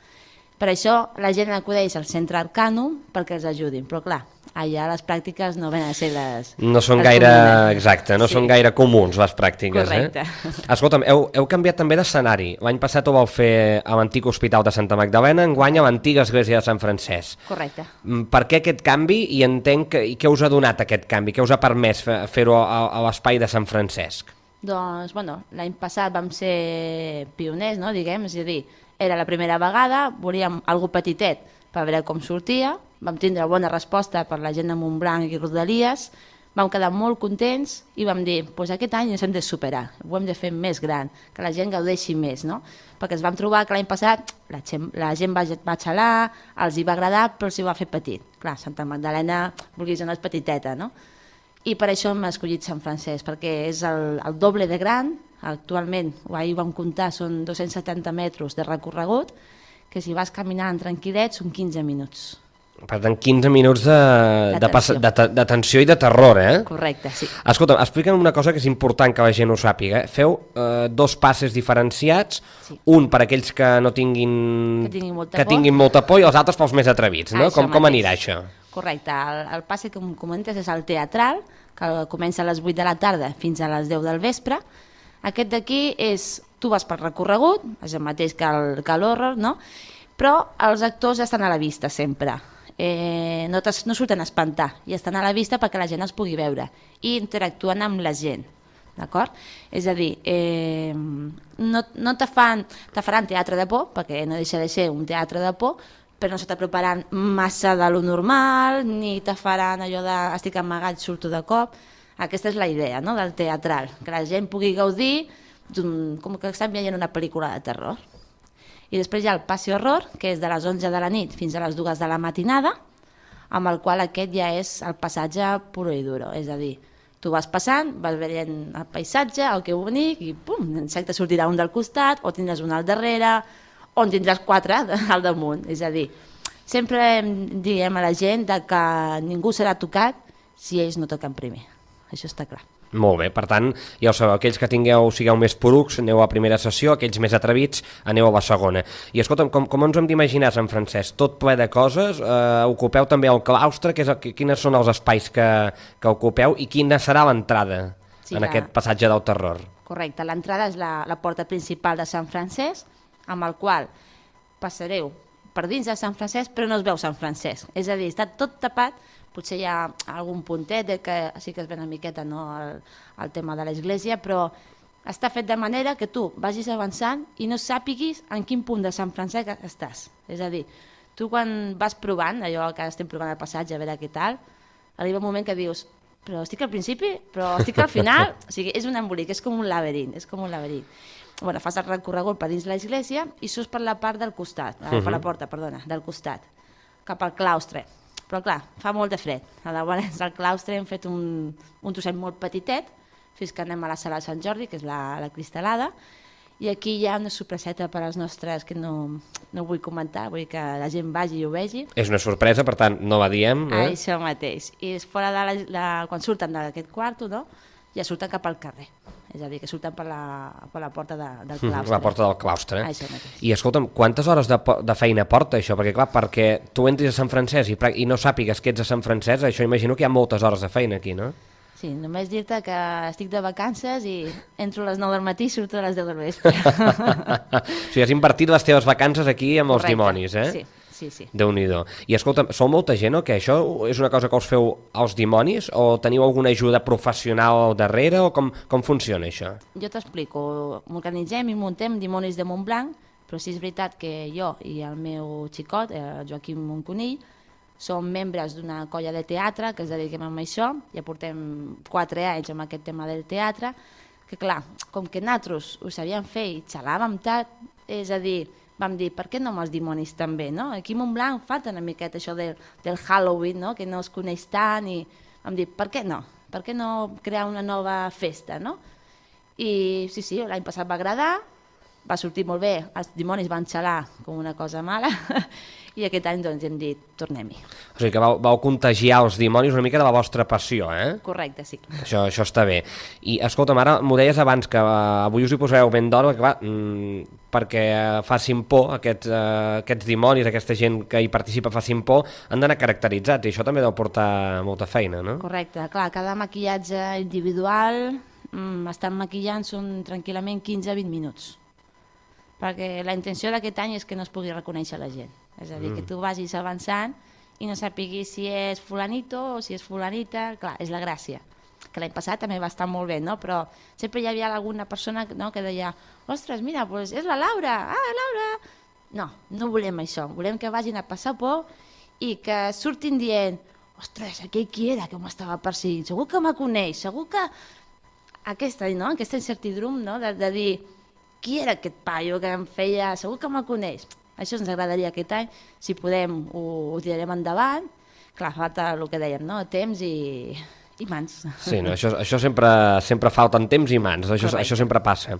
[SPEAKER 8] Per això la gent acudeix al centre Arcanum perquè els ajudin, però clar, allà les pràctiques no venen a ser les...
[SPEAKER 4] No són
[SPEAKER 8] les
[SPEAKER 4] gaire,
[SPEAKER 8] comunes.
[SPEAKER 4] Exacte, no sí. són gaire comuns les pràctiques.
[SPEAKER 8] Correcte.
[SPEAKER 4] Eh? Escolta'm, heu, heu canviat també d'escenari. L'any passat ho vau fer a l'antic Hospital de Santa Magdalena, enguany a l'antiga església de Sant Francesc.
[SPEAKER 8] Correcte.
[SPEAKER 4] Per què aquest canvi i entenc que, i què us ha donat aquest canvi? Què us ha permès fer-ho a, a l'espai de Sant Francesc?
[SPEAKER 8] Doncs, bueno, l'any passat vam ser pioners, no?, diguem, és a dir, era la primera vegada, volíem algo petitet per veure com sortia, vam tindre bona resposta per la gent de Montblanc i Rodalies, vam quedar molt contents i vam dir, doncs aquest any ens hem de superar, ho hem de fer més gran, que la gent gaudeixi més, no? Perquè ens vam trobar que l'any passat la gent, la gent va, va xalar, els hi va agradar, però s'hi va fer petit. Clar, Santa Magdalena, vulguis o no, és petiteta, no? I per això hem escollit Sant Francesc, perquè és el, el doble de gran. Actualment, ahir vam comptar, són dos-cents setanta metres de recorregut, que si vas caminant tranquil·let són quinze minuts.
[SPEAKER 4] Per tant, quinze minuts de, de, de, de tensió i de terror, eh?
[SPEAKER 8] Correcte, sí.
[SPEAKER 4] Escolta'm, explica'm una cosa que és important que la gent ho sàpiga. Eh? Feu eh, dos passes diferenciats, sí. un per aquells que no tinguin...
[SPEAKER 8] Que tinguin molta,
[SPEAKER 4] que
[SPEAKER 8] por.
[SPEAKER 4] tinguin molta por i els altres pels més atrevits, no? Com, com anirà això?
[SPEAKER 8] Correcte, el, el passe que em comentes és el teatral, que comença a les vuit de la tarda fins a les deu del vespre. Aquest d'aquí és, tu vas per recorregut, és el mateix que el, que l'horror, no? Però els actors estan a la vista sempre. Eh, no, no surten a espantar i estan a la vista perquè la gent els pugui veure i interactuen amb la gent, d'acord? És a dir, eh, no, no te, fan, te faran teatre de por, perquè no deixa de ser un teatre de por, però no s'està preparant massa de lo normal, ni te faran allò de estic amagat, surto de cop. Aquesta és la idea, no?, del teatral, que la gent pugui gaudir com que estan veient una pel·lícula de terror. I després hi ha el passi horror, que és de les onze de la nit fins a les dues de la matinada, amb el qual aquest ja és el passatge puro i duro, és a dir, tu vas passant, vas veient el paisatge, el que bonic, i pum, insecte sortirà un del costat, o tindràs un al darrere, o en tindràs quatre al damunt, és a dir, sempre diem a la gent que ningú serà tocat si ells no toquen primer, això està clar.
[SPEAKER 4] Molt bé, per tant, ja ho sabeu, aquells que tingueu, sigueu més porucs, aneu a la primera sessió, aquells més atrevits, aneu a la segona. I escolta'm, com, com ens hem d'imaginar, Sant Francesc? Tot ple de coses, eh, ocupeu també el claustre, que és el, quines són els espais que, que ocupeu i quina serà l'entrada sí, en la... aquest passatge del terror?
[SPEAKER 8] Correcte, l'entrada és la, la porta principal de Sant Francesc, amb el qual passareu per dins de Sant Francesc, però no es veu Sant Francesc, és a dir, està tot tapat. Potser hi ha algun puntet que sí que es ve una miqueta, no, el, el tema de l'església, però està fet de manera que tu vagis avançant i no sàpiguis en quin punt de Sant Francesc estàs. És a dir, tu quan vas provant, allò que estem provant el passatge, a veure què tal, arriba un moment que dius, però estic al principi, però estic al final, o sigui, és un embolic, és com un laberint, és com un laberint. Bueno, fas el recorregut per dins l'església i surts per la part del costat, uh -huh. per la porta, perdona, del costat, cap al claustre. Però clar, fa molt de fred. Llavors al claustre hem fet un, un trosset molt petitet, fins que anem a la sala de Sant Jordi, que és la, la cristal·lada, i aquí hi ha una sorpreseta per als nostres, que no, no vull comentar, vull que la gent vagi i ho vegi.
[SPEAKER 4] És una sorpresa, per tant, no la diem. Eh?
[SPEAKER 8] Això mateix. I és fora de la, la, quan surten d'aquest quarto, no? Ja surten cap al carrer. És a dir, que surten per la, per la porta de, del claustre.
[SPEAKER 4] La porta del claustre.
[SPEAKER 8] Això mateix.
[SPEAKER 4] I escolta'm, quantes hores de, de feina porta això? Perquè clar, perquè tu entris a Sant Francesc i, i no sàpigues que ets a Sant Francesc, això imagino que hi ha moltes hores de feina aquí, no?
[SPEAKER 8] Sí, només dir-te que estic de vacances i entro a les nou del matí i surto a les deu del vespre.
[SPEAKER 4] O sigui, has invertit les teves vacances aquí amb els
[SPEAKER 8] Correcte.
[SPEAKER 4] Dimonis, eh?
[SPEAKER 8] Sí, sí, sí.
[SPEAKER 4] Déu-n'hi-do. I escolta'm, sou molta gent o què? Això és una cosa que us feu als Dimonis o teniu alguna ajuda professional darrere o com, com funciona això?
[SPEAKER 8] Jo t'explico. M'organitzem i muntem Dimonis de Montblanc, però sí és veritat que jo i el meu xicot, el Joaquim Monconill, som membres d'una colla de teatre que ens dediquem a això, ja portem quatre anys amb aquest tema del teatre, que clar, com que nosaltres ho sabíem fer i xalàvem tant, és a dir, vam dir, per què no amb els Dimonis també, no? Aquí a Montblanc falta una miqueta això del, del Halloween, no? Que no es coneix tant, i vam dir, per què no? Per què no crear una nova festa, no? I sí, sí, l'any passat va agradar, va sortir molt bé, els Dimonis van xalar com una cosa mala, i aquest any doncs hem dit, tornem-hi.
[SPEAKER 4] O sigui que vau, vau contagiar els Dimonis una mica de la vostra passió, eh?
[SPEAKER 8] Correcte, sí.
[SPEAKER 4] Això, això està bé. I escolta'm, ara m'ho deies abans, que uh, avui us hi posareu ben d'hora, que va, mm, perquè uh, facin por, aquests, uh, aquests Dimonis, aquesta gent que hi participa facin por, han d'anar caracteritzats, i això també deu portar molta feina, no?
[SPEAKER 8] Correcte, clar, cada maquillatge individual, mm, estan maquillant són tranquil·lament quinze a vint minuts, perquè la intenció d'aquest any és que no es pugui reconèixer la gent. És a dir, mm. que tu vagis avançant i no sàpiguis si és fulanito o si és fulanita, clar, és la gràcia. Que l'any passat també va estar molt bé, no? Però sempre hi havia alguna persona, no?, que deia, ostres, mira, pues és la Laura, ah, Laura! No, no volem això, volem que vagin a passar por i que surtin dient, ostres, aquell qui era que m'estava perseguint, segur que me coneix, segur que... Aquesta, no?, aquesta incertidumbre, no?, de, de dir, qui era aquest paio que em feia, segur que me coneix. Això ens agradaria aquest any, si podem ho, ho tirarem endavant. Clar, falta el que dèiem, no?, temps i, i mans.
[SPEAKER 4] Sí, no? això, això sempre, sempre falten temps i mans, això, això sempre passa.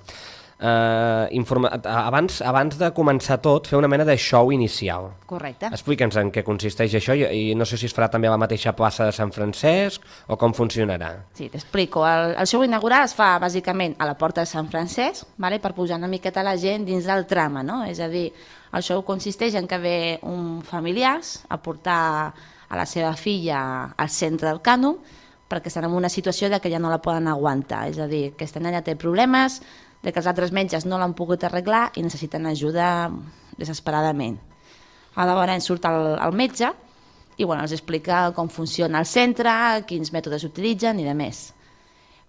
[SPEAKER 4] Uh, informa... abans, abans de començar tot, fer una mena de show inicial.
[SPEAKER 8] Correcte.
[SPEAKER 4] Explica'ns en què consisteix això i, i no sé si es farà també a la mateixa plaça de Sant Francesc o com funcionarà.
[SPEAKER 8] Sí, t'explico. El, el show inaugural es fa bàsicament a la porta de Sant Francesc, vale? Per posar una miqueta la gent dins del trama, no? És a dir, el show consisteix en que ve un familiars a portar a la seva filla al centre del cànon perquè estan en una situació de que ja no la poden aguantar. És a dir, que aquesta nena té problemes, de que els altres metges no l'han pogut arreglar i necessiten ajuda desesperadament. Llavors surt el, el metge i bueno, els explica com funciona el centre, quins mètodes utilitzen i de més.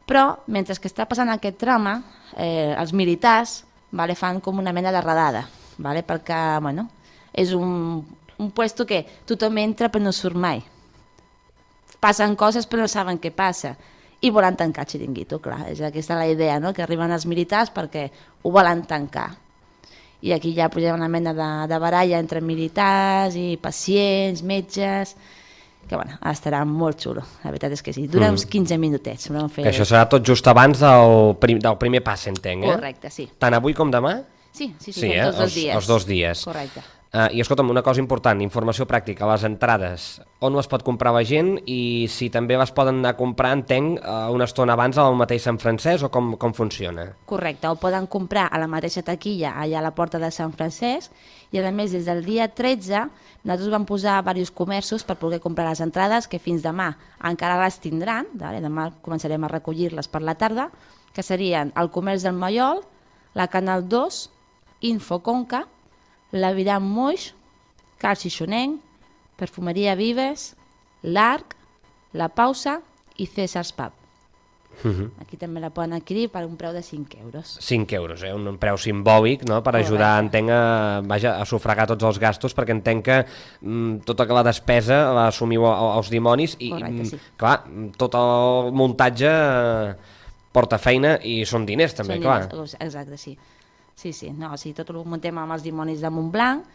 [SPEAKER 8] Però, mentre que està passant aquest trama, eh, els militars vale, fan com una mena de redada, vale, perquè bueno, és un, un puesto que tothom entra però no surt mai. Passen coses però no saben què passa. I volen tancar el xiringuito, clar, és aquesta la idea, no?, que arriben els militars perquè ho volen tancar. I aquí ja posem una mena de, de baralla entre militars i pacients, metges, que bueno, estarà molt xulo, la veritat és que sí. Dura mm. uns quinze minutets. Fer...
[SPEAKER 4] Que això serà tot just abans del, prim, del primer pas, entenc, eh?
[SPEAKER 8] Correcte, sí.
[SPEAKER 4] Tant avui com demà?
[SPEAKER 8] Sí, sí, sí,
[SPEAKER 4] sí eh?
[SPEAKER 8] tots els,
[SPEAKER 4] els
[SPEAKER 8] dies.
[SPEAKER 4] Els dos dies.
[SPEAKER 8] Correcte.
[SPEAKER 4] Uh, I escolta'm, una cosa important, informació pràctica, les entrades, on les pot comprar la gent i si també les poden anar a comprar, entenc, uh, una estona abans al mateix Sant Francesc o com, com funciona?
[SPEAKER 8] Correcte, ho poden comprar a la mateixa taquilla allà a la porta de Sant Francesc i a més des del dia tretze nosaltres vam posar diversos comerços per poder comprar les entrades que fins demà encara les tindran, vale? Demà començarem a recollir-les per la tarda, que serien el Comerç del Mallol, la Canal dos, Infoconca, l'Aviram Moix, Cal Xixonenc, Perfumeria Vives, l'Arc, La Pausa i César's Pub.
[SPEAKER 4] Uh-huh.
[SPEAKER 8] Aquí també la poden adquirir per un preu de cinc euros.
[SPEAKER 4] cinc euros, eh? un preu simbòlic, no? Per ajudar, entenc, a, vaja, a sufragar tots els gastos, perquè entenc que mm, tota la despesa la assumiu els dimonis i,
[SPEAKER 8] Correcte, sí.
[SPEAKER 4] clar, tot el muntatge eh, porta feina i són diners també,
[SPEAKER 8] són
[SPEAKER 4] clar.
[SPEAKER 8] Diners, exacte, sí. Sí, sí, no, o sigui, tot ho muntem amb els dimonis de Montblanc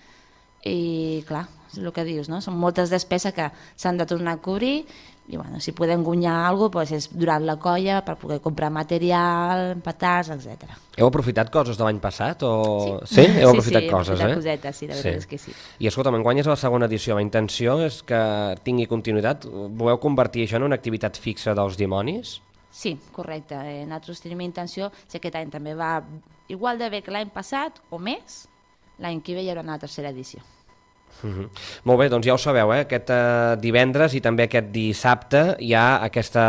[SPEAKER 8] i, clar, és el que dius, no? Són moltes despeses que s'han de tornar a cobrir i, bueno, si podem guanyar alguna cosa, doncs és durant la colla per poder comprar material, petards, etcètera.
[SPEAKER 4] Heu aprofitat coses de l'any passat? O...
[SPEAKER 8] Sí,
[SPEAKER 4] sí? Heu aprofitat
[SPEAKER 8] sí, sí,
[SPEAKER 4] coses,
[SPEAKER 8] aprofitat
[SPEAKER 4] eh?
[SPEAKER 8] cosetes, sí, la veritat
[SPEAKER 4] sí.
[SPEAKER 8] és que sí.
[SPEAKER 4] I escolta, enguany és la segona edició, la intenció és que tingui continuïtat. Voleu convertir això en una activitat fixa dels dimonis?
[SPEAKER 8] Sí, correcte. Eh, nosaltres tenim intenció, si aquest any també va igual de bé que l'any passat o més, l'any que ve hi haurà una tercera edició.
[SPEAKER 4] Uh-huh. Molt bé, doncs ja ho sabeu, eh? Aquest uh, divendres i també aquest dissabte hi ha aquesta,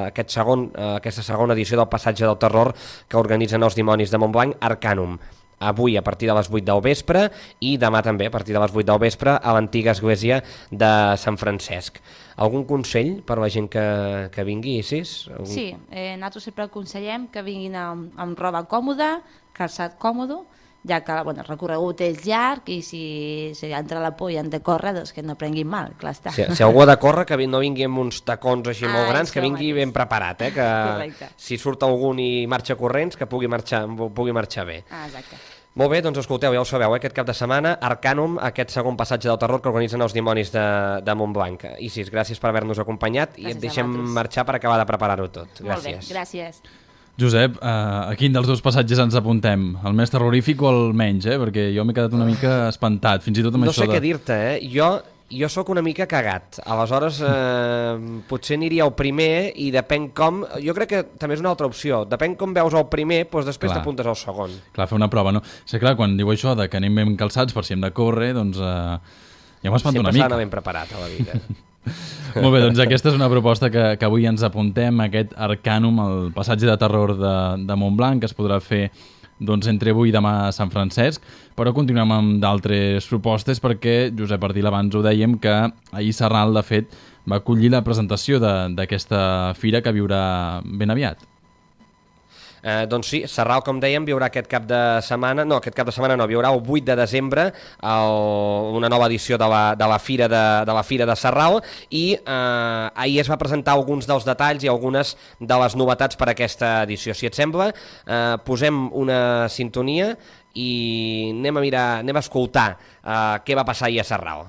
[SPEAKER 4] aquest segon, uh, aquesta segona edició del Passatge del Terror que organitzen els dimonis de Montblanc, Arcanum. Avui a partir de les vuit del vespre i demà també a partir de les vuit del vespre a l'antiga església de Sant Francesc. Algun consell per la gent que, que vingui, Isis? Algun...
[SPEAKER 8] Sí, eh, nosaltres sempre aconsellem que vinguin amb, amb roba còmoda, calçat còmodo, ja que bueno, el recorregut és llarg i si, si entra la por i han de córrer, doncs que no prenguin mal, clar està.
[SPEAKER 4] Si, si algú ha de córrer, que no vingui amb uns tacons així
[SPEAKER 8] Ah,
[SPEAKER 4] molt grans,
[SPEAKER 8] això
[SPEAKER 4] que vingui
[SPEAKER 8] mateix.
[SPEAKER 4] ben preparat, eh? Que
[SPEAKER 8] Correcte.
[SPEAKER 4] si surt algun i marxa corrents, que pugui marxar, pugui marxar bé.
[SPEAKER 8] Ah, exacte.
[SPEAKER 4] Molt bé, doncs escolteu, ja ho sabeu, eh? Aquest cap de setmana, Arcanum, aquest segon Passatge del Terror que organitzen els dimonis de, de Montblanc. Isis, gràcies per haver-nos acompanyat i
[SPEAKER 8] Gràcies
[SPEAKER 4] et deixem
[SPEAKER 8] a vosaltres.
[SPEAKER 4] marxar per acabar de preparar-ho tot.
[SPEAKER 8] Molt bé,
[SPEAKER 4] Gràcies.
[SPEAKER 8] gràcies.
[SPEAKER 3] Josep, eh, a quin dels dos passatges ens apuntem? El més terrorífic o el menys, eh? Perquè jo m'he quedat una mica espantat, fins i tot amb
[SPEAKER 4] No
[SPEAKER 3] això
[SPEAKER 4] sé
[SPEAKER 3] de...
[SPEAKER 4] què dir-te, eh? Jo, jo sóc una mica cagat. Aleshores, eh, potser aniria al primer i depèn com... Jo crec que també és una altra opció. Depèn com veus el primer, doncs després
[SPEAKER 3] Clar.
[SPEAKER 4] t'apuntes al segon.
[SPEAKER 3] Clar, fer una prova, no? Sí, clar, quan diu això de que anem ben calçats per si hem de córrer, doncs eh, ja m'espanta una
[SPEAKER 4] Sempre s'ha
[SPEAKER 3] mica.
[SPEAKER 4] d'anar ben preparat a la vida.
[SPEAKER 3] Molt bé, doncs aquesta és una proposta que, que avui ens apuntem, aquest Arcanum, el passatge de terror de, de Montblanc, que es podrà fer doncs, entre avui i demà a Sant Francesc, però continuem amb d'altres propostes perquè, Josep Ardil, abans ho dèiem, que ahir Sarral, de fet, va acollir la presentació d'aquesta fira que viurà ben aviat.
[SPEAKER 4] Eh, doncs sí, Sarral, com dèiem, viurà aquest cap de setmana, no, aquest cap de setmana no, viurà el vuit de desembre el, una nova edició de la, de la Fira de, de la Fira de Sarral i eh, ahir es va presentar alguns dels detalls i algunes de les novetats per a aquesta edició. Si et sembla, eh, posem una sintonia i anem a mirar, anem a escoltar eh, què va passar ahir a Sarral.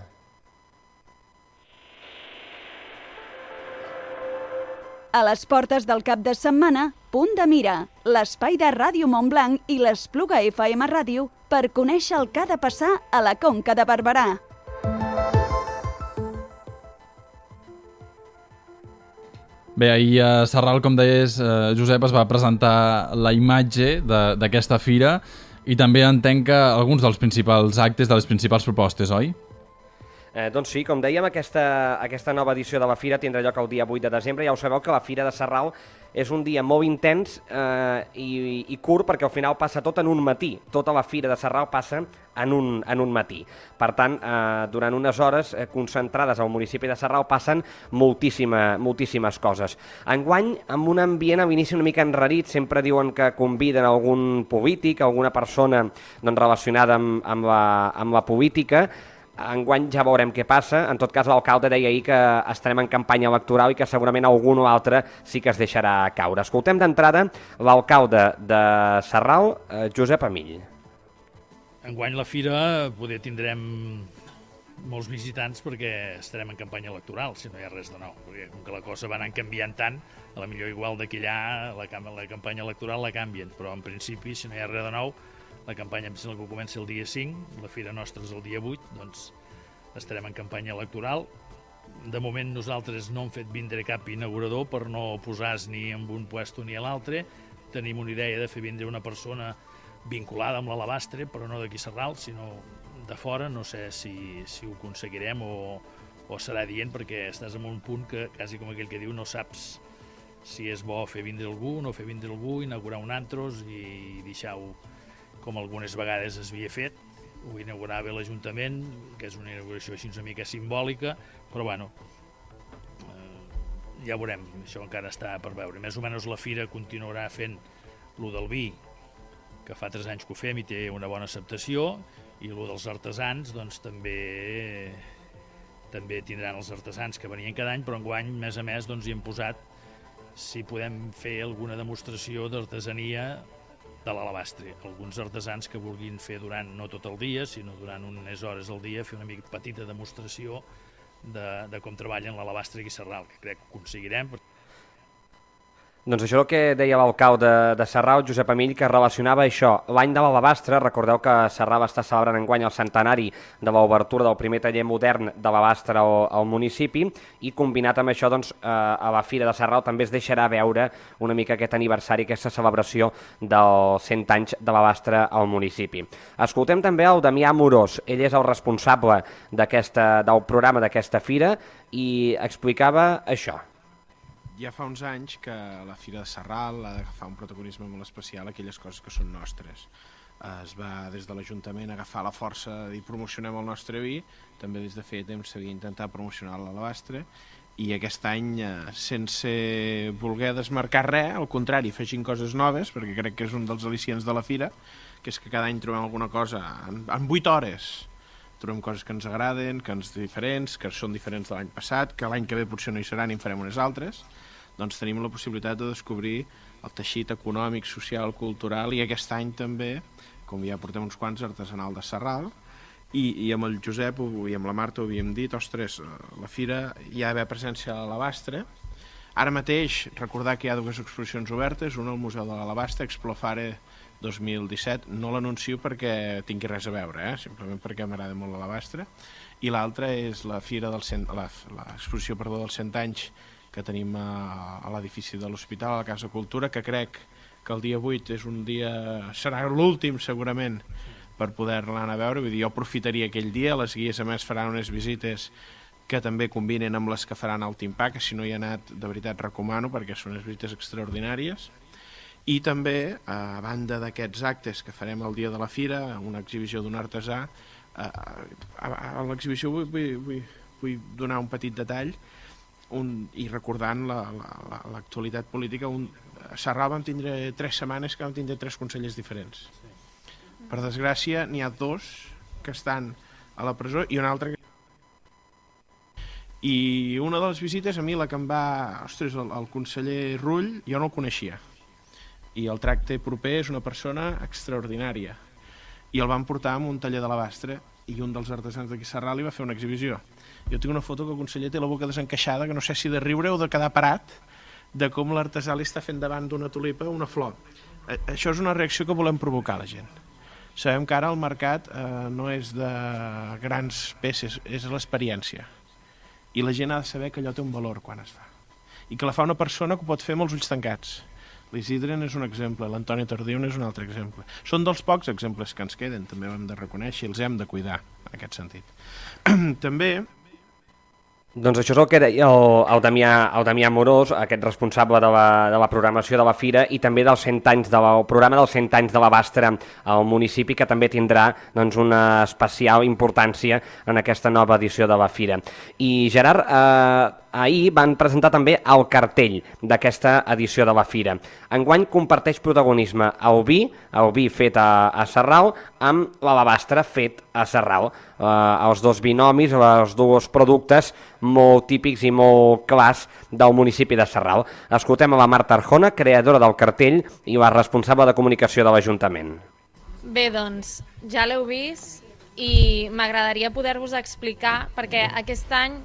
[SPEAKER 2] A les portes del cap de setmana, Punt de Mira, l'espai de Ràdio Montblanc i l'Espluga F M Ràdio per conèixer el que ha de passar a la Conca de Barberà.
[SPEAKER 3] Bé, ahir a Sarral, com deies, eh, Josep, es va presentar la imatge d'aquesta fira i també entenc que alguns dels principals actes, de les principals propostes, oi?
[SPEAKER 4] Eh, doncs sí, com dèiem, aquesta, aquesta nova edició de la Fira tindrà lloc el dia vuit de desembre. Ja ho sabeu que la Fira de Sarral és un dia molt intens eh, i, i curt perquè al final passa tot en un matí. Tota la Fira de Sarral passa en un, en un matí. Per tant, eh, durant unes hores eh, concentrades al municipi de Sarral passen moltíssima, moltíssimes coses. Enguany, amb un ambient a l'inici una mica enrarit, sempre diuen que conviden algun polític, alguna persona doncs, relacionada amb, amb, la, amb la política. Enguany ja veurem què passa. En tot cas, l'alcalde deia ahir que estarem en campanya electoral i que segurament algun o altre sí que es deixarà caure. Escoltem d'entrada l'alcalde de Sarral, eh, Josep Amill.
[SPEAKER 9] Enguany la fira poder tindrem molts visitants perquè estarem en campanya electoral, si no hi ha res de nou. Perquè com que la cosa va anant canviant tant, a la millor igual d'aquí allà la, la campanya electoral la canvien, però en principi, si no hi ha res de nou, la campanya em sembla que comença el dia cinc, la fira nostra és el dia vuit, doncs estarem en campanya electoral. De moment nosaltres no hem fet vindre cap inaugurador per no posar-nos ni en un puesto ni a l'altre. Tenim una idea de fer vindre una persona vinculada amb l'Alabastre, però no d'aquí Sarral, sinó de fora. No sé si, si ho aconseguirem o, o serà dient, perquè estàs en un punt que, quasi com aquell que diu, no saps si és bo fer vindre algú, no fer vindre algú, inaugurar un antros i deixar-ho com algunes vegades es havia fet. Ho inaugurava l'Ajuntament, que és una inauguració així una mica simbòlica, però bueno, eh, ja veurem, això encara està per veure. Més o menys la fira continuarà fent lo del vi, que fa tres anys que ho fem i té una bona acceptació, i lo dels artesans, doncs també també tindran els artesans que venien cada any, però enguany, més a més, doncs hi hem posat si podem fer alguna demostració d'artesania de l'alabastre. Alguns artesans que vulguin fer durant, no tot el dia, sinó durant unes hores al dia, fer una mica petita demostració de, de com treballen l'alabastre aquí a Sarral, que crec que ho aconseguirem.
[SPEAKER 4] Doncs això és el que deia l'alcalde de, de Sarral, Josep Amill, que relacionava això, l'any de l'alabastre. Recordeu que Sarral està celebrant enguany el centenari de l'obertura del primer taller modern de l'alabastre al, al municipi, i combinat amb això, doncs, eh, a la Fira de Sarral també es deixarà veure una mica aquest aniversari, aquesta celebració dels cent anys de l'alabastre al municipi. Escoltem també el Damià Amorós, ell és el responsable del programa d'aquesta fira, i explicava això.
[SPEAKER 10] Ja fa uns anys que la Fira de Sarral ha d'agafar un protagonisme molt especial a aquelles coses que són nostres. Es va des de l'Ajuntament agafar la força i promocionem el nostre vi, també des de fer temps s'havia intentat promocionar l'alabastre, i aquest any, sense voler desmarcar res, al contrari, afegint coses noves, perquè crec que és un dels al·licients de la Fira, que és que cada any trobem alguna cosa en, en vuit hores. Trobem coses que ens agraden, que ens diferents, que són diferents de l'any passat, que l'any que ve potser no hi seran i en farem unes altres. Doncs tenim la possibilitat de descobrir el teixit econòmic, social, cultural, i aquest any també, com ja portem uns quants, artesanal de Sarral, i, i amb el Josep i amb la Marta ho havíem dit, ostres, la fira hi ha d'haver presència a l'alabastre. Ara mateix, recordar que hi ha dues exposicions obertes, una al Museu de l'Alabastre, Explofare dos mil disset, no l'anuncio perquè tingui res a veure, eh? Simplement perquè m'agrada molt l'alabastre, i l'altra és la fira del cent, l'exposició perdó, dels cent anys que tenim a, a l'edifici de l'Hospital, a la Casa Cultura, que crec que el dia vuit és un dia, serà l'últim segurament, per poder-la anar a veure. Vull dir, jo aprofitaria aquell dia, les guies a més faran unes visites que també combinen amb les que faran al Timpà, que si no hi ha anat, de veritat recomano, perquè són unes visites extraordinàries. I també, a banda d'aquests actes que farem el dia de la fira, una exhibició d'un artesà, a, a, a l'exhibició vull, vull, vull, vull donar un petit detall, un, i recordant l'actualitat la, la, política, un, a Sarral vam tindre tres setmanes que vam tindre tres consellers diferents. Per desgràcia, n'hi ha dos que estan a la presó i un altre que... I una de les visites, a mi la que em va... Ostres, el, el conseller Rull, jo no el coneixia. I el tracte proper és una persona extraordinària. I el van portar a un taller d'alabastre i un dels artesans d'aquí Sarral li va fer una exhibició. Jo tinc una foto que el conseller té la boca desencaixada, que no sé si de riure o de quedar parat, de com l'artesà li està fent davant d'una tulipa una flor. Això és una reacció que volem provocar a la gent. Sabem que ara el mercat eh, no és de grans peces, és l'experiència. I la gent ha de saber que allò té un valor quan es fa. I que la fa una persona que ho pot fer amb els ulls tancats. L'Isidre és un exemple, l'Antoni Tardiu és un altre exemple. Són dels pocs exemples que ens queden, també ho hem de reconèixer i els hem de cuidar, en aquest sentit. També...
[SPEAKER 4] Doncs això és el que deia el, el, Damià, el Damià Amorós, aquest responsable de la, de la programació de la fira, i també dels cent anys de la, el programa dels cent anys de l'Alabastre al municipi, que també tindrà doncs, una especial importància en aquesta nova edició de la fira. I Gerard, eh, ahir van presentar també el cartell d'aquesta edició de la fira. Enguany comparteix protagonisme el vi, el vi fet a, a Sarral, amb l'alabastre fet a Sarral. Eh, els dos binomis, els dos productes molt típics i molt clars del municipi de Sarral. Escoltem a la Marta Arjona, creadora del cartell i la responsable de comunicació de l'Ajuntament.
[SPEAKER 11] Bé, doncs, ja l'heu vist i m'agradaria poder-vos explicar, perquè aquest any,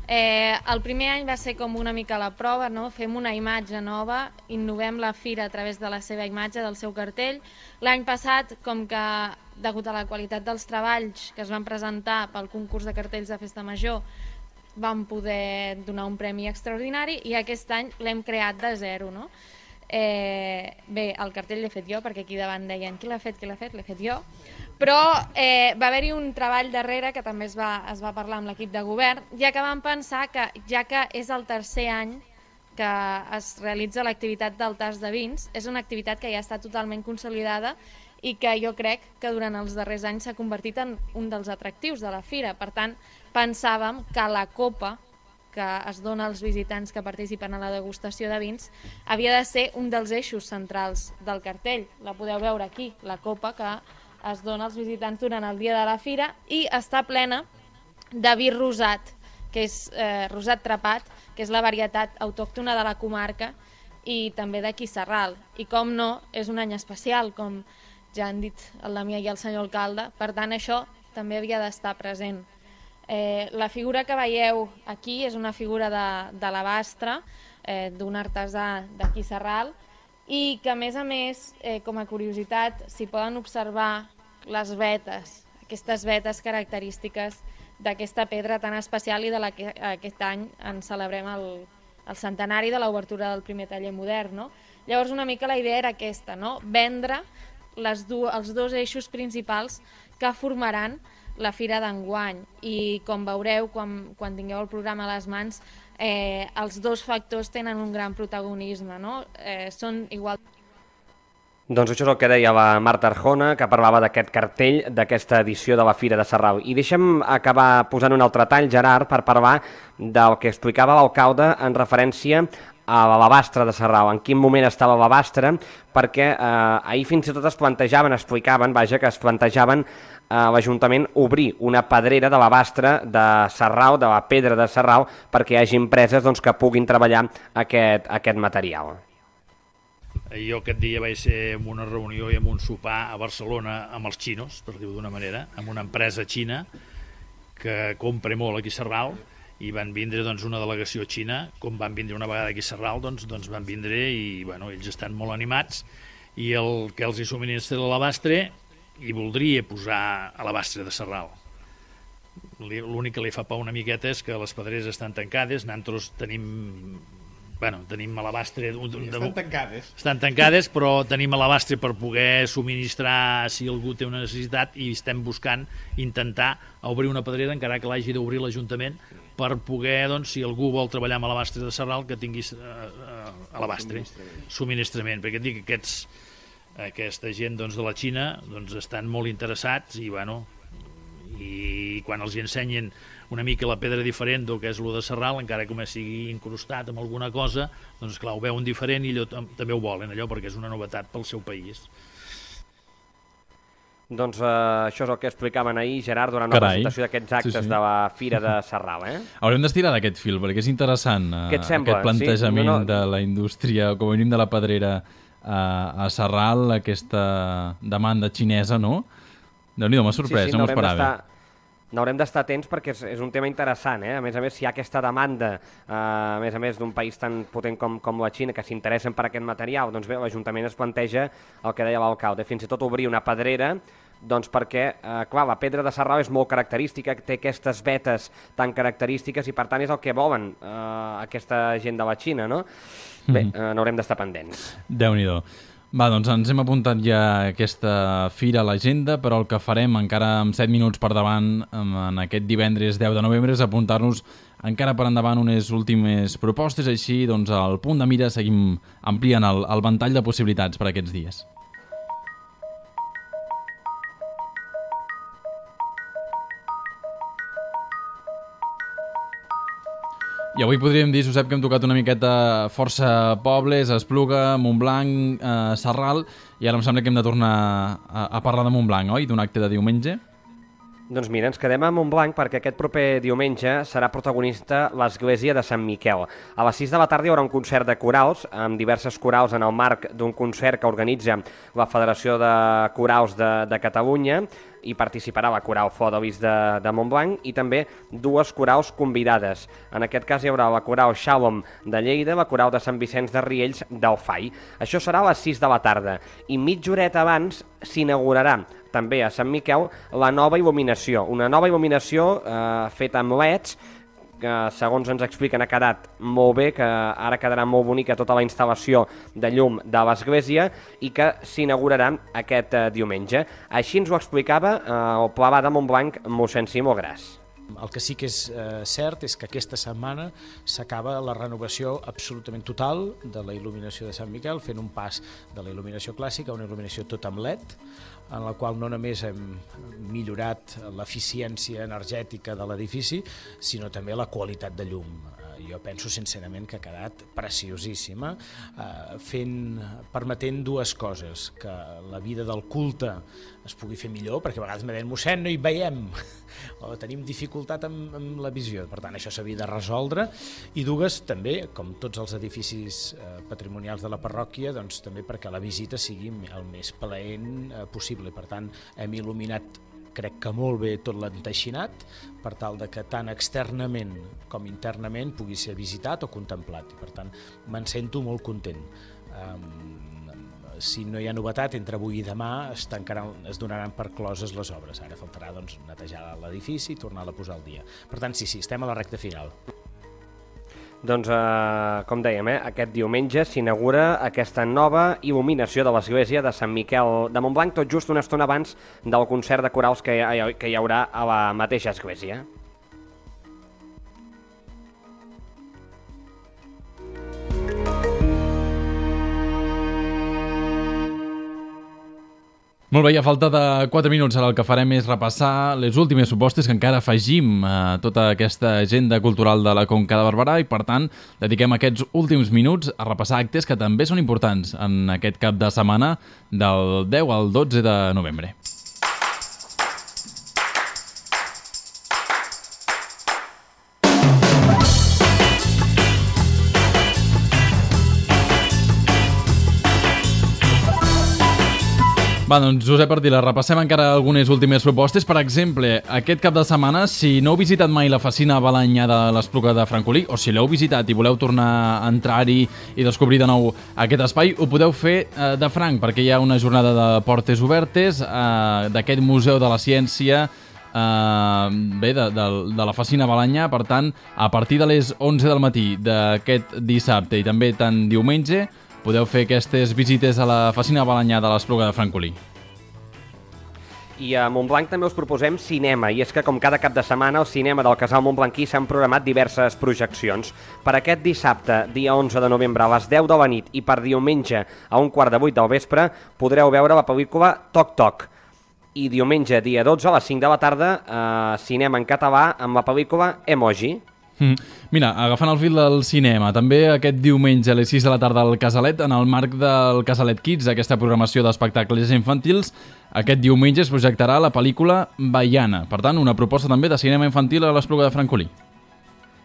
[SPEAKER 11] eh, el primer any va ser com una mica la prova, no? Fem una imatge nova, innovem la fira a través de la seva imatge, del seu cartell. L'any passat, com que degut a la qualitat dels treballs que es van presentar pel concurs de cartells de Festa Major, vam poder donar un premi extraordinari i aquest any l'hem creat de zero, no? Eh, bé, el cartell l'he fet jo, perquè aquí davant deien qui l'ha fet, qui l'ha fet, l'he fet jo, però eh, va haver-hi un treball darrere que també es va, es va parlar amb l'equip de govern, ja que vam pensar que, ja que és el tercer any que es realitza l'activitat del tas de vins, és una activitat que ja està totalment consolidada i que jo crec que durant els darrers anys s'ha convertit en un dels atractius de la fira. Per tant, pensàvem que la copa que es dona als visitants que participen a la degustació de vins havia de ser un dels eixos centrals del cartell. La podeu veure aquí, la copa que es dona als visitants durant el dia de la fira i està plena de vi rosat, que és eh, rosat trepat, que és la varietat autòctona de la comarca i també d'aquí Sarral. I com no, és un any especial, com ja han dit el Damià i el senyor alcalde, per tant això també havia d'estar present. Eh, la figura que veieu aquí és una figura de, de l'Abastre, eh, d'un artesà d'aquí Sarral, i que a més a més, eh, com a curiositat, s'hi poden observar les vetes, aquestes vetes característiques d'aquesta pedra tan especial i de la que aquest any en celebrem el, el centenari de l'obertura del primer taller modern. No? Llavors una mica la idea era aquesta, no? Vendre les du els dos eixos principals que formaran la fira d'enguany, i com veureu quan, quan tingueu el programa a les mans, eh, els dos factors tenen un gran protagonisme, no? Eh, són igual...
[SPEAKER 4] Doncs això és el que deia la Marta Arjona, que parlava d'aquest cartell d'aquesta edició de la Fira de Sarral. I deixa'm acabar posant un altre tall, Gerard, per parlar del que explicava l'alcalde en referència a l'alabastre de Sarral, en quin moment estava l'alabastre, perquè eh, ahir fins i tot es plantejaven, explicaven, vaja, que es plantejaven a l'Ajuntament obrir una pedrera de l'alabastre de Sarral, de la pedra de Sarral, perquè hi hagi empreses doncs, que puguin treballar aquest, aquest material.
[SPEAKER 9] Jo aquest dia vaig ser en una reunió i en un sopar a Barcelona amb els xinos, per dir-ho d'una manera, amb una empresa xina que compra molt aquí a Sarral, i van vindre doncs, una delegació xina, com van vindre una vegada aquí a Sarral, doncs, doncs van vindre i bueno, ells estan molt animats, i el que els hi subministra l'alabastre hi voldria posar alabastre de Sarral. L'únic que li fa por una miqueta és que les pedreres estan tancades, nosaltres tenim... Bueno, tenim alabastre...
[SPEAKER 10] Estan tancades.
[SPEAKER 9] Estan tancades, però tenim alabastre per poder subministrar si algú té una necessitat, i estem buscant intentar obrir una pedrera, encara que l'hagi d'obrir l'Ajuntament, per poder, doncs, si algú vol treballar amb alabastre de Sarral, que tingui uh, uh, alabastre, subministrament. subministrament. Perquè et dic que aquests, aquesta gent doncs, de la Xina doncs, estan molt interessats i, bueno, i quan els hi ensenyen una mica la pedra diferent del que és lo de Sarral, encara que sigui incrustat amb alguna cosa, doncs clar, ho veuen diferent i allò, també ho volen, allò, perquè és una novetat pel seu país.
[SPEAKER 4] Doncs eh, això és el que explicaven ahir, Gerard, durant
[SPEAKER 3] Carai.
[SPEAKER 4] la presentació d'aquests actes sí, sí. de la Fira de Sarral. Eh?
[SPEAKER 3] Haurem d'estirar d'aquest fil, perquè és interessant eh,
[SPEAKER 4] Què et sembla?
[SPEAKER 3] aquest plantejament
[SPEAKER 4] sí? no, no...
[SPEAKER 3] de la indústria, com a mínim de la pedrera eh, a Sarral, aquesta demanda xinesa, no? Déu-n'hi-do, m'ha sorprès,
[SPEAKER 4] sí, sí,
[SPEAKER 3] no m'ho esperava.
[SPEAKER 4] N'haurem d'estar atents perquè és, és un tema interessant, eh? A més a més, si hi ha aquesta demanda, eh, a més a més d'un país tan potent com, com la Xina, que s'interessen per aquest material, doncs bé, l'Ajuntament es planteja el que deia l'alcalde, fins i tot obrir una pedrera, doncs perquè, eh, clar, la pedra de Sarral és molt característica, té aquestes vetes tan característiques i per tant és el que volen eh, aquesta gent de la Xina, no? Bé, eh, n'haurem d'estar pendents.
[SPEAKER 3] Déu-n'hi-do. Va, doncs ens hem apuntat ja aquesta fira a l'agenda, però el que farem encara amb set minuts per davant en aquest divendres deu de novembre és apuntar-nos encara per endavant unes últimes propostes, així doncs al punt de mira seguim ampliant el, el ventall de possibilitats per aquests dies. I avui podríem dir, Josep, que hem tocat una miqueta força pobles, Espluga, Montblanc, eh, Sarral, i ara em sembla que hem de tornar a, a parlar de Montblanc, oi? D'un acte de diumenge?
[SPEAKER 4] Doncs mira, ens quedem a Montblanc perquè aquest proper diumenge serà protagonista l'església de Sant Miquel. A les sis de la tarda hi haurà un concert de corals, amb diverses corals en el marc d'un concert que organitza la Federació de Corals de, de Catalunya, i participarà la coral Fodolis de, de Montblanc i també dues corals convidades. En aquest cas hi haurà la coral Shalom de Lleida, la coral de Sant Vicenç de Riells d'Alfai. Això serà a les sis de la tarda i mitja horeta abans s'inaugurarà també a Sant Miquel la nova il·luminació, una nova il·luminació eh, feta amb leds, que segons ens expliquen ha quedat molt bé, que ara quedarà molt bonica tota la instal·lació de llum de l'església i que s'inaugurarà aquest eh, diumenge. Així ens ho explicava eh, el pla de Montblanc mossèn Simó Gras.
[SPEAKER 12] El que sí que és eh, cert és que aquesta setmana s'acaba la renovació absolutament total de la il·luminació de Sant Miquel, fent un pas de la il·luminació clàssica a una il·luminació tot amb L E D, en la qual no només hem millorat l'eficiència energètica de l'edifici, sinó també la qualitat de llum. jo penso sincerament que ha quedat preciosíssima, eh, fent, permetent dues coses, que la vida del culte es pugui fer millor, perquè a vegades me deien, mossèn, no hi veiem, o tenim dificultat amb, amb la visió, per tant això s'havia de resoldre, i dues també, com tots els edificis eh, patrimonials de la parròquia, doncs també perquè la visita sigui el més plaent eh, possible. Per tant, hem il·luminat crec que molt bé tot l'enteixinat per tal de que tant externament com internament pugui ser visitat o contemplat, i per tant me'n sento molt content. Um, si no hi ha novetat, entre avui i demà es, tancaran, es donaran per closes les obres. Ara faltarà doncs, netejar l'edifici i tornar-la a posar al dia. Per tant, sí, sí, estem a la recta final.
[SPEAKER 4] Doncs, eh, com dèiem, eh, aquest diumenge s'inaugura aquesta nova il·luminació de l'església de Sant Miquel de Montblanc, tot just una estona abans del concert de corals que hi, que hi haurà a la mateixa església.
[SPEAKER 3] Molt bé, a falta de quatre minuts ara el que farem és repassar les últimes propostes que encara afegim a tota aquesta agenda cultural de la Conca de Barberà i, per tant, dediquem aquests últims minuts a repassar actes que també són importants en aquest cap de setmana del deu al dotze de novembre. Va, doncs, Josep Ardila, repassem encara algunes últimes propostes. Per exemple, aquest cap de setmana, si no heu visitat mai la Facina Balanyà de l'Espluga de Francolí, o si l'heu visitat i voleu tornar a entrar-hi i descobrir de nou aquest espai, ho podeu fer eh, de franc, perquè hi ha una jornada de portes obertes eh, d'aquest Museu de la Ciència, eh, bé, de, de, de la Facina Balanyà. Per tant, a partir de les onze del matí d'aquest dissabte i també tant diumenge, podeu fer aquestes visites a la Facina Balanyà de l'Espluga de Francolí.
[SPEAKER 4] I a Montblanc també us proposem cinema, i és que com cada cap de setmana al cinema del Casal Montblanquí s'han programat diverses projeccions. Per aquest dissabte, dia onze de novembre, a les deu de la nit, i per diumenge a un quart de vuit del vespre, podreu veure la pel·lícula Toc Toc. I diumenge, dia dotze, a les cinc de la tarda, eh, cinema en català amb la pel·lícula Emoji.
[SPEAKER 3] Mm. Mira, agafant el fil del cinema, també aquest diumenge a les sis de la tarda al Casalet, en el marc del Casalet Kids, aquesta programació d'espectacles infantils, aquest diumenge es projectarà la pel·lícula Baiana. Per tant, una proposta també de cinema infantil a l'Espluga de Francolí.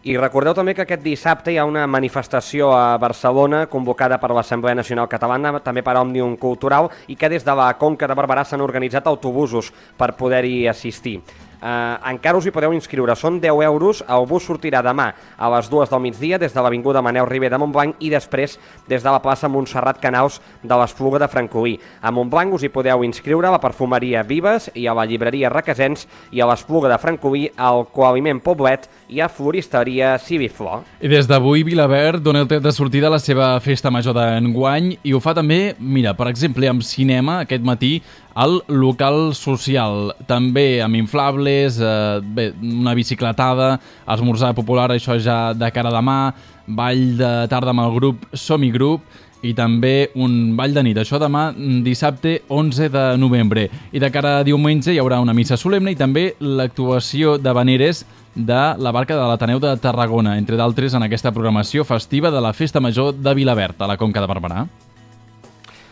[SPEAKER 4] I recordeu també que aquest dissabte hi ha una manifestació a Barcelona convocada per l'Assemblea Nacional Catalana, també per Òmnium Cultural, i que des de la Conca de Barberà s'han organitzat autobusos per poder-hi assistir. Uh, encara us hi podeu inscriure, són deu euros, el bus sortirà demà a les dues del migdia des de l'avinguda Manel Ribé de Montblanc i després des de la plaça Montserrat Canaus de l'Espluga de Francolí. A Montblanc us hi podeu inscriure a la perfumeria Vives i a la llibreria Requesens, i a l'Espluga de Francolí al Coaliment Poblet i a Floristeria Civiflor.
[SPEAKER 3] I des d'avui Vilaverd dona el tret de sortida a la seva festa major d'enguany i ho fa també, mira, per exemple, amb cinema aquest matí al local social, també amb inflables, eh, bé, una bicicletada, esmorzar popular, això ja de cara a demà, ball de tarda amb el grup Som-hi Grup i també un ball de nit, això demà dissabte onze de novembre. I de cara a diumenge hi haurà una missa solemne i també l'actuació d'havaneres de la barca de l'Ateneu de Tarragona, entre d'altres en aquesta programació festiva de la Festa Major de Vilaverd, a la Conca de Barberà.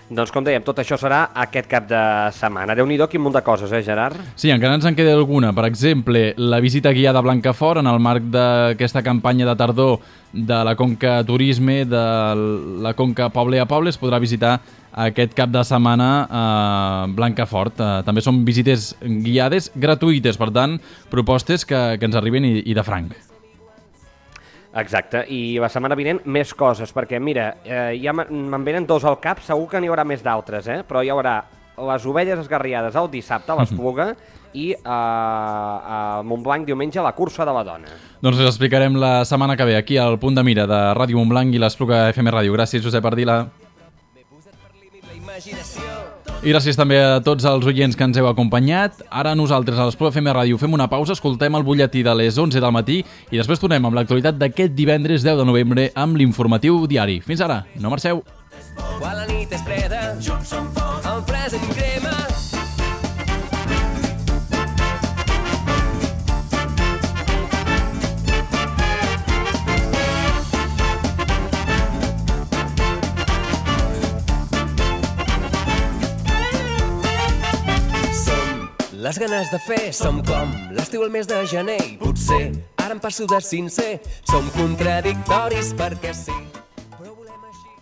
[SPEAKER 4] Doncs com dèiem, tot això serà aquest cap de setmana. Déu-n'hi-do, quin munt de coses, eh, Gerard?
[SPEAKER 3] Sí, encara ens en queda alguna. Per exemple, la visita guiada a Blancafort en el marc d'aquesta campanya de tardor de la Conca Turisme, de la Conca Poble a Poble, es podrà visitar aquest cap de setmana a Blancafort. També són visites guiades gratuïtes, per tant, propostes que, que ens arriben i, i de franc.
[SPEAKER 4] Exacte, i la setmana vinent més coses, perquè mira, eh, ja me'n venen dos al cap, segur que n'hi haurà més d'altres, eh? Però hi haurà les ovelles esgarriades el dissabte a l'Espluga i eh, a Montblanc diumenge la cursa de la dona.
[SPEAKER 3] Doncs us explicarem la setmana que ve aquí al Punt de Mira de Ràdio Montblanc i l'Espluga F M Ràdio. Gràcies, Josep Ardila. I gràcies també a tots els oients que ens heu acompanyat. Ara nosaltres a l'Espluga F M Ràdio fem una pausa, escoltem el butlletí de les onze del matí i després tornem amb l'actualitat d'aquest divendres deu de novembre amb l'informatiu diari. Fins ara, no marxeu. Quan la nit és freda, junts som forts, el present crema.
[SPEAKER 13] les ganes de fer. Som com l'estiu al mes de gener i potser ara em passo de sincer. Som contradictoris perquè sí.